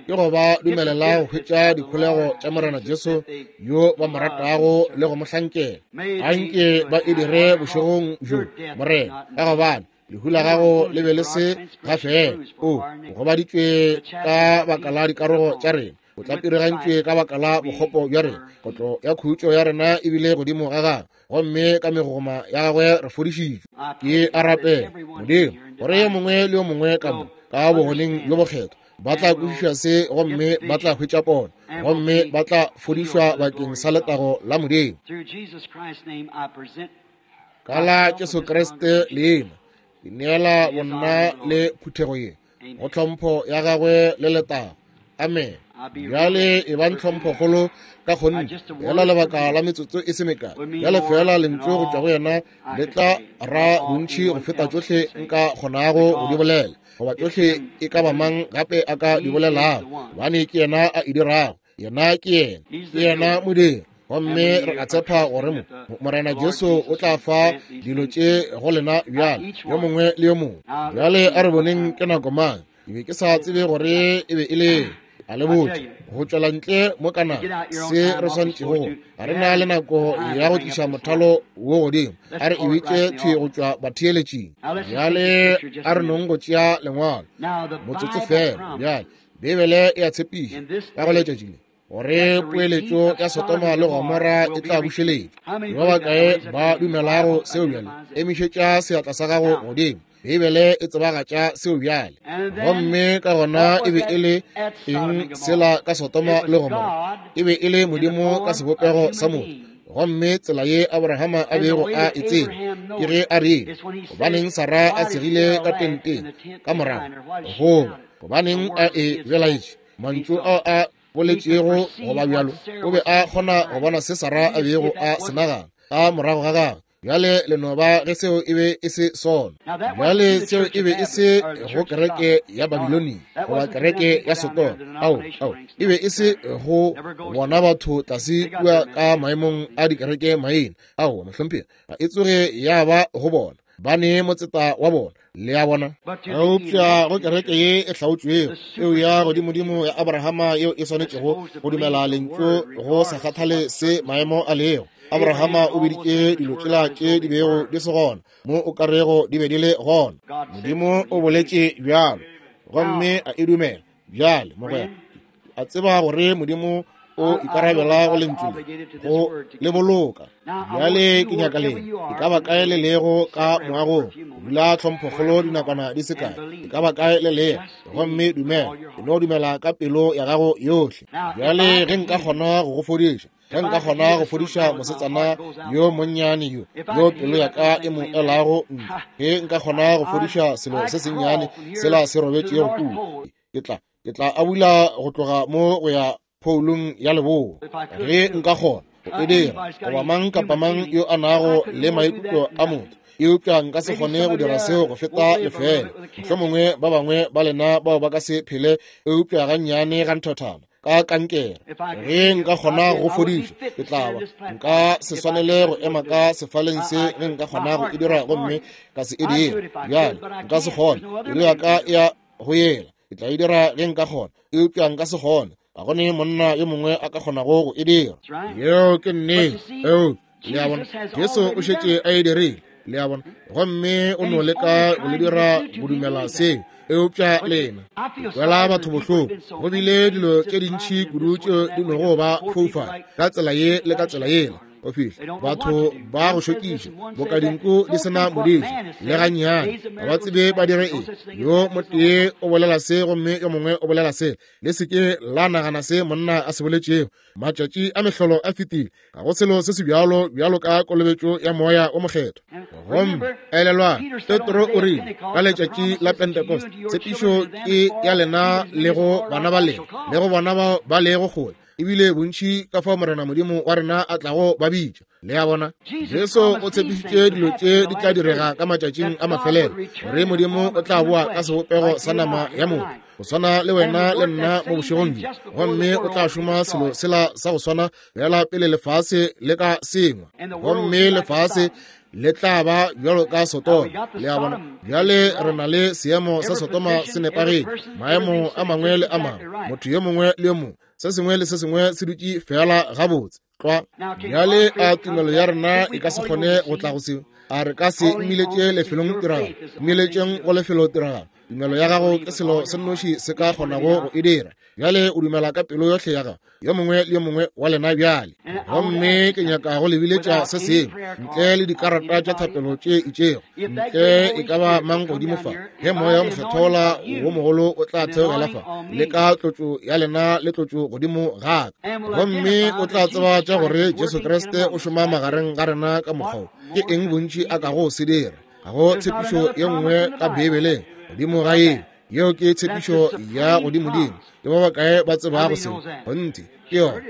[SPEAKER 1] ke go ba dumelela go hwetša dikholego tša Morena Jesu yo ba mo ratago le go mo hlankela. Anke ba e dire bošegong bjo, Morena, ka gobane lehu la gago le be le se ga fela. O gobaditšwe ka baka la dikarogo tša rena, o tlapirigantšwe ka baka la bokgopo bja rena. Kotlo ya khutšo ya rena e bile godimo ga gagwe, gomme ka megogoma ya gagwe re fodišitšwe. Ke a rapela, Modimo, gore yo mongwe le yo mongwe ka mo ka bogoneng bjo bokgethwa ba tla kwešiša se, gomme ba tla hwetša pono, gomme ba tla fodišwa bakeng sa letago la Modimo. Ka la Jesu Kriste leina, ke neela bonna le phuthego ye go tlhompho ya gagwe le letago. Amen. Bjale e bang tlhomphokgolo ka kgonthe, fela lebaka la metsotso e se mekae. Bjale fela lentšu go tšwa go yena le tla ra bontši go feta tšohle nka kgonago go di bolela, goba tšohle e ka ba mang gape a ka di bolelago, gobane ke yena a e dirago. Yena ke yena, ke yena modiri. Gomme re a tshepa gore mo Morena Jesu o tla fa dilo tše go lena bjale, yo mongwe le yo mongwe. Bjale a re boneng ke nako mang. Ke be ke sa tsebe gore e be e le a le botse go tšwela ntle mo kana se re swantšego go ga re na le nako ya go tliša mothalo wo godimo. A re e bitše thwi go tšwa batheeletšing. Bjale a re nong go tšea lengwalo motsotso fela. Bjale Bibele e a tshepiša ka go letšatši le gore poeletšo ya Sodoma le Gomora e tla bušeletšwa. Ke ba bakae ba dumelago seo bjale? Emišetša seatla sa gago godimo. Bibele e tsebagatša seo bjale. Gomme ka gona e be e le eng sela ka Sodoma le Gomora? E be e le Modimo ka sebopego sa motho. Gomme tsela ye Abrahama a bego a e tseba ke ge a rile, gobaneng Sara a segile ka tenteng ka morago, goba gobaneng a e belaetše mantšu ao a boletšego goba bjalo. O be a kgona go bona se Sara a bego a se nagana ka morago ga gagwe. Bjale le no ba ge seo e be e se sona. Bjale seo e be e se go kereke ya Babilonia goba kereke ya Sodoma. Ao, ao, e be e se go bona batho tlase kua ka maemong a dikereke maina. Ao, mohlomphegi, ga e tsoge ya ba go bona. Ba ne motseta wa bona, le a bona. Eupša go kereke ye e hlaotšwego, peo ya godimodimo ya Abrahama yeo e swanetšego go dumela lentšu go sa kgathale se maemo a lego. Abrahama o biditše dilo tšela tše di bego di se gona mo o ka rego di be di le gona. Modimo o boletše bjalo, gomme a e dumela. Bjale, mogwera, a tseba gore Modimo o ikarabela go lentšu le, go le boloka. Bjale ke nyaka lena, e ka ba kae le lego ka moagong, dula tlhomphokgolo dinakwana di se kae, e ka ba kae le lego, gomme dumela, e no dumela ka pelo ya gago yohle. Bjale ge nka kgona go go fodiša, ge nka kgona go fodiša mosetsana yo monnyane yo, yo pelo ya ka e mo elago ntle, ge nka kgona go fodiša selo se sennyane sela se robetšego kua, ke tla abula go tloga mo go ya phoulong ya leboa, ge nka kgona go e dira, goba mang kapa mang yo a nago le maikutlo a motho. Eupša nka se kgone go dira seo go feta lefeela. Mohlomongwe ba bangwe ba lena bao ba ka se phele eupša gannyane ga nthothana ka kankere. Ge nka kgona go fodiša, ke tla ba nka se swanele go ema ka sefaleng se ge nka kgona go e dira gomme ka se e dira. Bjale nka se kgone, pelo ya ka ya go yela, ke tla e dira ge nka kgona, eupša nka se kgone. Ga go ne monna yo mongwe a ka kgonago go e dira. Yeo ke nnete. Eupša le a bona, Jesu o šetše a e dirile, le a bona, gomme o no leka go le dira go dumela seo. Eupša lena kwela batho bohloko, go bile dilo tše dintši kudu tšeo di nogo ba foufala ka tsela ye le ka tsela yela. Go fihla batho ba go šokiša boka dinku di se na modiši le gannyane, ga ba tsebe ba dire eng. Yo motee o bolela se gomme yo mongwe o bolela se. Le se ke la nagana se monna a se boletšego. Matšatši a mehlolo a fetile. Ga go selo se se bjalo bjalo ka kolobetšo ya Moya o Mokgethwa. Gomme elelwang, Petro o rile ka letšatši la Pentecost, tshepišo ke ya lena le go bana ba lena le go bona bao ba lego kgole, ebile bontši ka fao Morena Modimo wa rena a tlago ba bitša. Le a bona, Jesu o tshepišitše dilo tše di tla direga ka matšatšing a mafelelo, gore Modimo o tla boa ka sebopego sa nama ya motho, go swana le wena le nna mo bošegong bjo, gomme o tla šoma selo sela sa go swana bjala pele lefase le ka sengwa, gomme lefase le tla ba bjalo ka Sodoma. Le a bona, bjale re na le seemo sa Sodoma se nepagetše, maemo a mangwe le a mangwe, motho yo mongwe le yo mongwe, se sengwe le se sengwe se dutše fela gabotse tlwa. Bjale a tumelo ya rena e ka se kgone go tla go seo? A re ka se mmiletše lefelong tiragalo? Mmiletšeng go lefelo tiragalo. Tumelo ya gago ke selo se nnoši se ka kgonago go e dira. Bjale o dumela ka pelo yohle ya gago, yo mongwe le yo mongwe wa lena bjale. Gomme ke nyaka go le biletša se sengwe, ntle le dikarata tša thapelo tše itšego, ntle e ka ba mang godimo fa, ge Moya wo Mokgethwa wo mogolo o tla theogela fa, le ka tlotšo ya lena le tlotšo godimo ga ka, gomme o tla tseba tša gore Jesu Kriste o šoma magareng ga rena ka mokgwa wo. Ke eng bontši a kago se dira? Ga go tshepišo ye nngwe ka Beibeleng godimo ga yeo. Yeo ke tshepišo ya godimodimo. Ke ba bakae ba tsebago seo? Kgonthe, ke yona.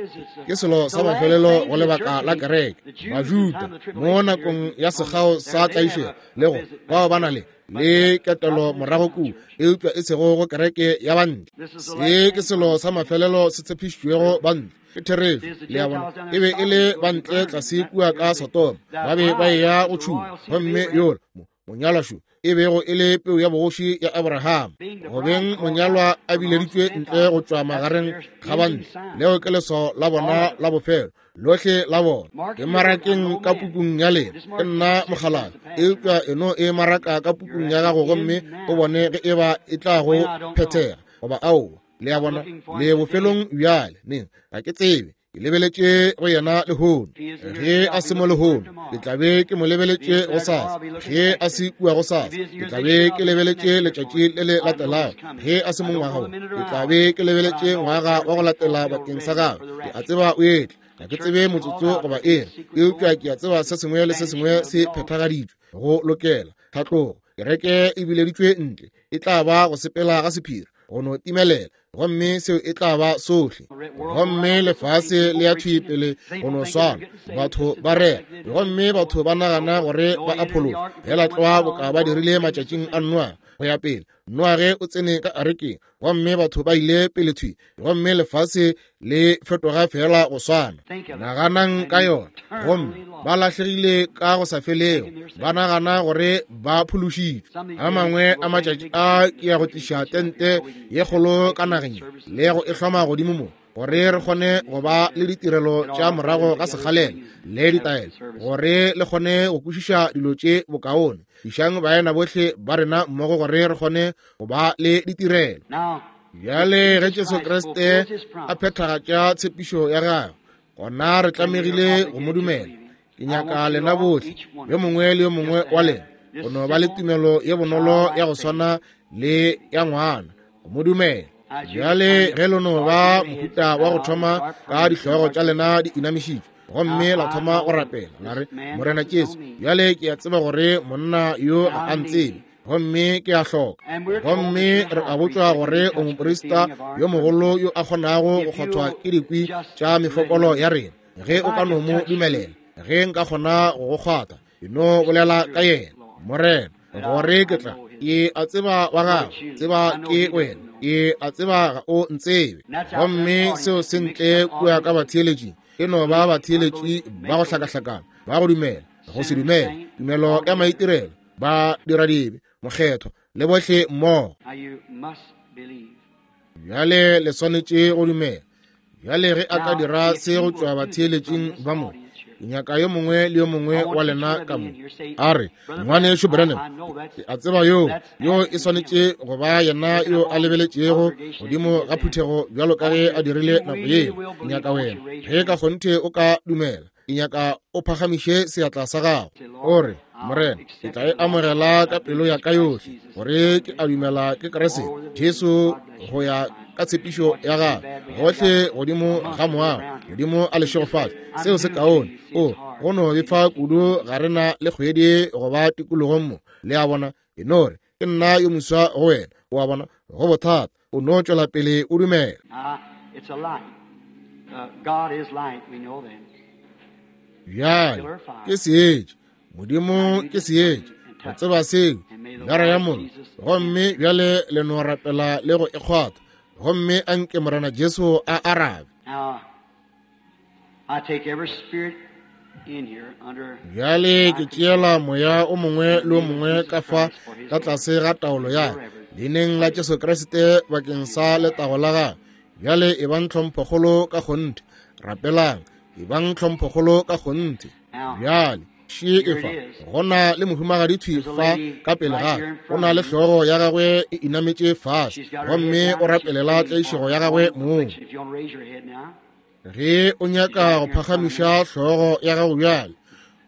[SPEAKER 1] Ke selo sa mafelelo go lebaka la kereke. Bajuda mo nakong ya sekgao sa tlaišego le go bao ba na le le ketelo morago kua, eupša e sego go kereke ya bantle. Se ke selo sa mafelelo se tshepišitšwego bantle. Ke therešo. Le a bona, e be e le bantle tlase kua ka Sodoma, ba be ba eya go tšhuma, gomme yola monyalwa šo e bego e le peu ya bogoši ya Abraham, go beng monyalwa a bileditšwe ntle go tšwa magareng ga bantle. Leo ke leswao la bona la bofelo lohle la bona. Ke marakeng ka pukung ya lena, ke nna mokgalabje, eupša e no e maraka ka pukung ya gago gomme o bone ge e ba e tla go phethega goba aowa. Le a bona, le bofelong bjale. Neng, ga ke tsebe. Ke lebeletše go yena lehono. Ge a se mo lehono, ke tla be ke mo lebeletše gosasa. Ge a se kua gosasa, ke tla be ke lebeletše letšatši le le latelago. Ge a se mo ngwaga wo, ke tla be ke lebeletše ngwaga wa go latela bakeng sa gagwe. Ke a tseba o etla. Ga ke tsebe motsotso goba ere, eupša ke a tseba se sengwe le se sengwe se phethagaditšwe go lokela tlhatlogo. Kereke e bileditšwe ntle, e tla ba go sepela ga sephiri, go no timelela, gomme seo e tla ba sohle. Gomme lefase le ya thwi pele go no swana, batho ba rera, gomme batho ba nagana gore ba a phologa, fela tlwa boka ba dirile matšatšing a Noa go ya pele. Noage o tsene ka arekeng, gomme batho ba ile pele thwi, gomme lefase le fetoga fela go swana. Naganang ka yona. Gomme ba lahlegile ka go sa felego, ba nagana gore ba phološitšwe. A mangwe a matšatši a ke ya go tliša tente ye kgolo ka nageng le go e hloma godimo mo, gore re kgone go ba le ditirelo tša morago ga sekgalela le ditaelo, gore le kgone go kwešiša dilo tše bokaone. Tlišang baena bohle ba rena mmogo gore re kgone go ba le ditirelo. Bjale ge Jesu Kriste a phethagatša tshepišo ya gagwe, gona re tlamegile go mo dumela. Ke nyaka lena bohle, yo mongwe le yo mongwe wa lena, go no ba le tumelo ye bonolo ya go swana le ya ngwana, go mo dumela. Bjale ge le no ba mohuta wa go thoma ka dihlogo tša lena di inamišitšwe, gomme la thoma go rapela, la re, Morena Jesu, bjale ke a tseba gore monna yo ga a ntsebe, gomme ke a hloka. Gomme re a botšwa gore o moprista yo mogolo yo a kgonago go kgothwa ke dikwi tša mefokolo ya rena. Ge o ka no mo dumelela, ge nka kgona go go kgwatha, ke no bolela ka yena, Morena, gore ke tla. Ke a tseba wa gago, tseba ke wena. Ke a tseba ga o ntsebe. Gomme seo se ntle kua ka batheeletšing, e no ba batheeletši ba go hlakahlakana, ba go dumela, go se dumele, tumelo ya maitirelo, ba dira dibe, mokgethwa le bohle mmogo. Bjale le swanetše go dumela. Bjale ge a ka dira se go tšwa batheeletšing ba mo, ke nyaka yo mongwe le yo mongwe wa lena ka mo a re, Ngwanešu Branham, ke a tseba yoo, yoo e swanetše go ba yena yo a lebeletšego godimo ga phuthego bjalo ka ge a dirile nako yeo. Ke nyaka wena, ge ka kgonthe o ka dumela. Ke nyaka o phagamiše seatla sa gago, o re, Morena, ke tla e amogela ka pelo ya ka yohle, gore ke a dumela ke Kriste Jesu go ya ka tshepišo ya gagwe gohle godimo ga moago. Modimo a le šegofatše. Seo se kaone. O go no befa kudu ga re na le kgwedi go ba tikologong mo. Le a bona? E no re, ke nna yo moswa go wena. O a bona? Go bothata. O no tšwela pele o dumela. Bjale ke seetša. Modimo ke seetša. Re tseba seo. Gara ya mollo. Gomme bjale le no rapela le go e kgwatha. Gomme a nke Morena Jesu a arabe. Bjale ke tšeela moya o mongwe le o mongwe ka fa ka tlase ga taolo ya leineng la Jesu Kriste bakeng sa letago la gagwe. Bjale e bang tlhomphokgolo ka kgonthe. Rapelang, e bang tlhomphokgolo ka kgonthe. Bjale še e fa, go na le mohumagadi thwi fa ka pele ga, o na le hlogo ya gagwe e inametše fase, gomme o rapelela tlaišego ya gagwe mong. Ge o nyaka go phagamiša hlogo ya gago bjale,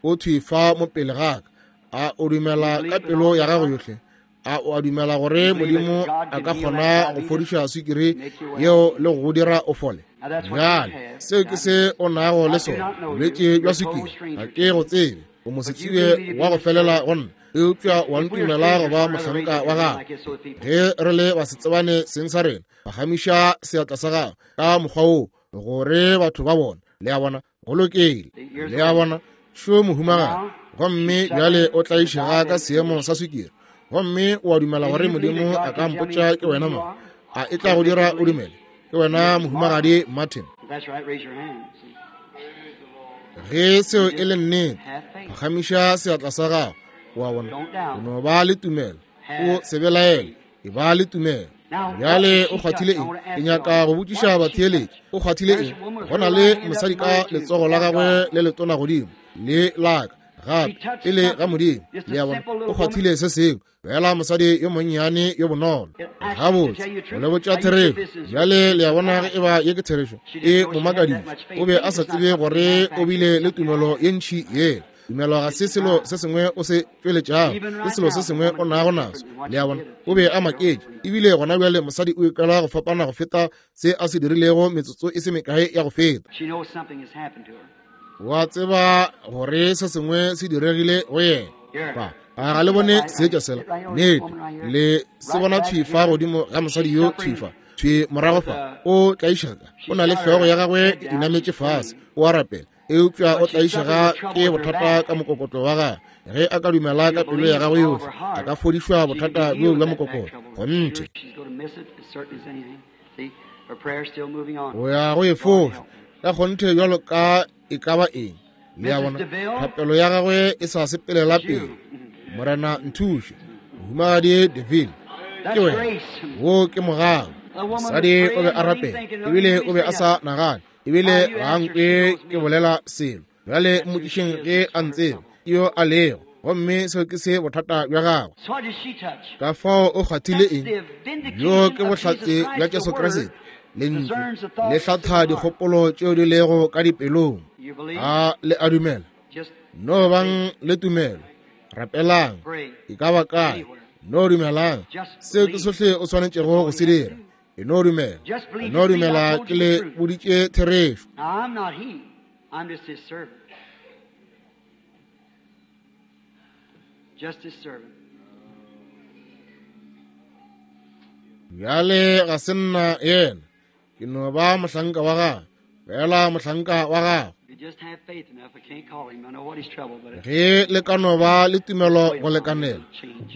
[SPEAKER 1] o thwi fa mo pele ga ka, a o dumela ka pelo ya gago yohle? A o a dumela gore Modimo a ka kgona go fodiša swikiri yeo le go go dira o fole? Bjale, seo ke se o nago le sona, bolwetši bja swikiri. Ga ke go tsebe, o mosetsebje wa go felela go nna, eupša wa ntumela go ba mohlanka wa gago. Ge re le basetsebane seng sa rena, phagamiša seatla sa gago ka mokgwa woo gore batho ba bone. Le a bona? Go lokile. Le a bona? Šo mohumagadi, gomme bjale o tlaišega ka seemo sa swikiri, gomme o a dumela gore Modimo a ka mpotša ke wena mang? A e tla go dira o dumele? Ke wena mohumagadi Martin. Ge seo e le nnete, phagamiša seatla sa gago. O a bona? O no ba le tumelo, o se belaele. E ba le tumelo. Bjale o kgwathile eng? Ke nyaka go botšiša batheeletši, o kgwathile eng? Go na le mosadi ka letsogo la gagwe le letona godimo le laka gape pele ga Modimo. Le a bona, o kgwathile se sengwe, fela mosadi yo monnyane yo bonolo. Gabotse, go le botša therešo. Bjale le a bona ge e ba ye ke therešo, e mo makaditše. O be a sa tsebe gore o bile le tumelo ye ntši yela. Tumelo ga se selo se sengwe o se tšweletšago, ke selo se sengwe o nago naso. Le a bona, o be a maketše. Ebile gona bjale mosadi o ikwela go fapana go feta se a se dirilego metsotso e se mekae ya go feta. Wa tseba gore se sengwe se diregile go yena. Ba, a ga le bone seetša sela? Nnete, le se bona thwi fa godimo ga mosadi yo thwi fa, thwi morago fa. O tlaišega, o na le hlogo ya gagwe e inametše fase, o a rapela. Eupša o tlaišega ke bothata ka mokokotlo wa gagwe. Ge a ka dumela ka pelo ya gagwe yohle, a ka fodišwa bothata bjo bja mokokotlo. Kgonthe. O ya go e foša ka kgonthe bjalo ka e ka ba eng. Le a bona, thapelo ya gagwe e sa sepelela pele. Morena nthuše. Mohumagadi Deville, ke wena. Wo ke mogau. Mosadi o be a rapela, ebile o be a sa nagane. Ebile ga a nkwe ke bolela selo. Bjale mmotšišeng ge a ntseba yo a lego, gomme seo ke se bothata bja gagwe. Ka fao o kgwathile eng? Bjo ke bohlatse bja Jesu Kriste. Lentšu le hlatha dikgopolo tšeo di lego ka dipelong. A le a dumela? No bang le tumelo. Rapelang. E ka ba kae? No dumelang. Seo ke sohle o swanetšego go se dira. E no dumela, e no dumela ke le boditše therešo. Bjale ga se nna yena, ke no ba mohlanka wa gagwe, fela mohlanka wa gagwe. Ge le ka no ba le tumelo go lekanela,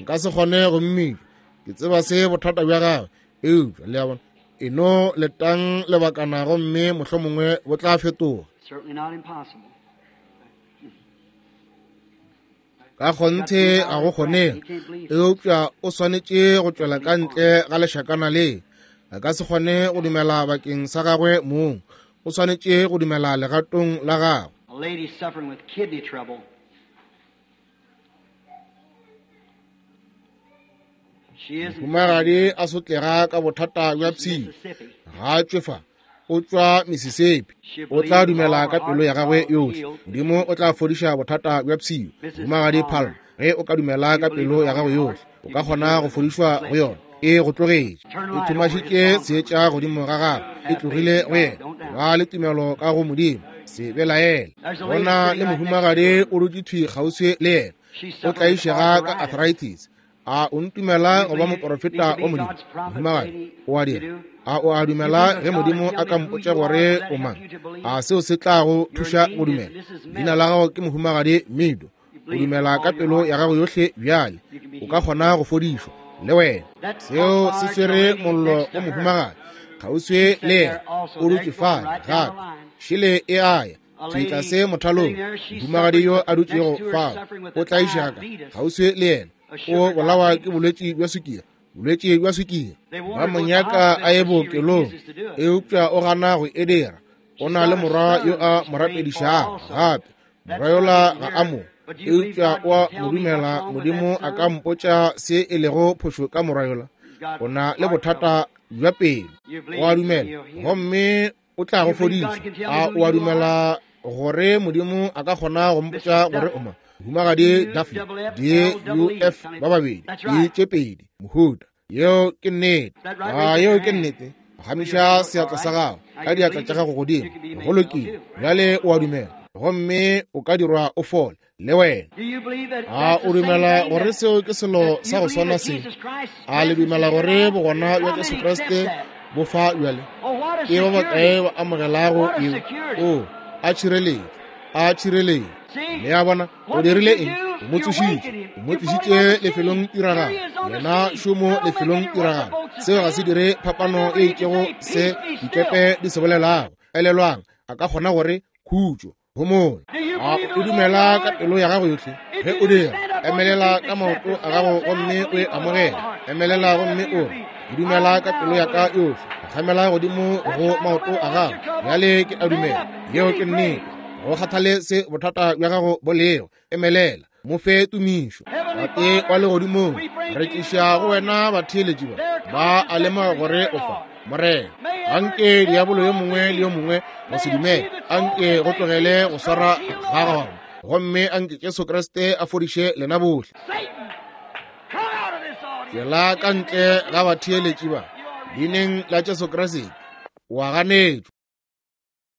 [SPEAKER 1] nka se kgone go mmitša. Ke tseba se bothata bja gagwe, eupša le a bona, e no letang lebakana gomme mohlomongwe bo tla fetoga. Ka kgonthe ga go kgonege, eupša o swanetše go tšwela ka ntle ga lešakana le. A ka se kgone go dumela bakeng sa gagwe mong, o swanetše go dumela legatong la gagwe. Mohumagadi a sotlega ka bothata bja pshio, ga a tšwe fa. O tšwa Mississippi. O tla dumela ka pelo ya gagwe yohle. Modimo o tla fodiša bothata bja pshio. Mohumagadi Palmer, ge o ka dumela ka pelo ya gago yohle, o ka kgona go fodišwa go yona. E go tlogetše. E thomašitše seetša godimo ga gagwe. E tlogile go yena. Ba le tumelo ka go Modimo. Se belaele. Go na le mohumagadi o dutše thwi kgauswi le yena. O tlaišega ka arthritis. A o ntumela go ba moporofeta wa Modimo? Mohumagadi, o a dira. A o a dumela ge Modimo a ka mpotša gore o mang? A seo se tla go thuša go dumela? Leina la gago ke Mohumagadi Mido. O dumela ka pelo ya gago yohle bjale. O ka kgona go fodišwa, le wena. Seo se swere mollo wa mohumagadi kgauswi le yena. O dutše fale gape. Šele e a ya. Thwi tlase mothalong, mohumagadi yo a dutšego fao o tlaišega ka kgauswi le yena. O bolawa ke bolwetši bja sukiri, bolwetši bja sukiri. Ba mo nyaka a ye bookelong, eupša o gana go e dira. O na le morwa yo a mo rapedišago gape. Morwa yola ga a mo, eupša o a mo dumela. Modimo a ka mpotša se e lego phošo ka morwa yola. O na le bothata bja pelo. O a dumela, gomme o tla go fodiša. A o a dumela gore Modimo a ka kgona go mpotša gore o mang? Mohumagadi Duffy, D U F ba babedi, D tše pedi, mohuta. Yeo ke nnete. A yeo ke nnete? Phagamiša seatla sa gago ka diatla tša gago godimo. Go lokile. Bjale o a dumela, gomme o ka dirwa o fole, le wena. A o dumela gore seo ke selo sa go swana se? A le dumela gore bogona bja Jesu Kriste bo fa bjale? Ke ba bakae ba amogelago yeo? O a tšhireletšo, a tšhireletšo. Le a bona, o dirile eng? O mo tsošitše, o mo tlišitše lefelong tiragalo. Yena šomo lefelong tiragalo. Seo ga se dire phapano e itšego se dikepe di se bolelago. Elelwang, a ka kgona gore khutšo, homola. A o dumela ka pelo ya gago yohle? Ge o dira, emelela ka maoto a gago gomme o e amogele. Emelela gomme o re, ke dumela ka pelo ya ka yohle. Phagamela godimo go maoto a gago. Bjale ke a dumela. Yeo ke nnete. Go kgathale se bothata bja gago bo lego, emelela, mo fe tumišo. Tate wa legodimong, re tliša go wena batheeletši ba, ba a lemoga gore o fa. Morena, anke diabolo yo mongwe le yo mongwe go se dumele, anke go tlogele go swara ga gona, gomme anke Jesu Kriste a fodiše lena bohle. Tšwela ka ntle ga batheeletši ba, leineng la Jesu Kriste, wa ganetšwa.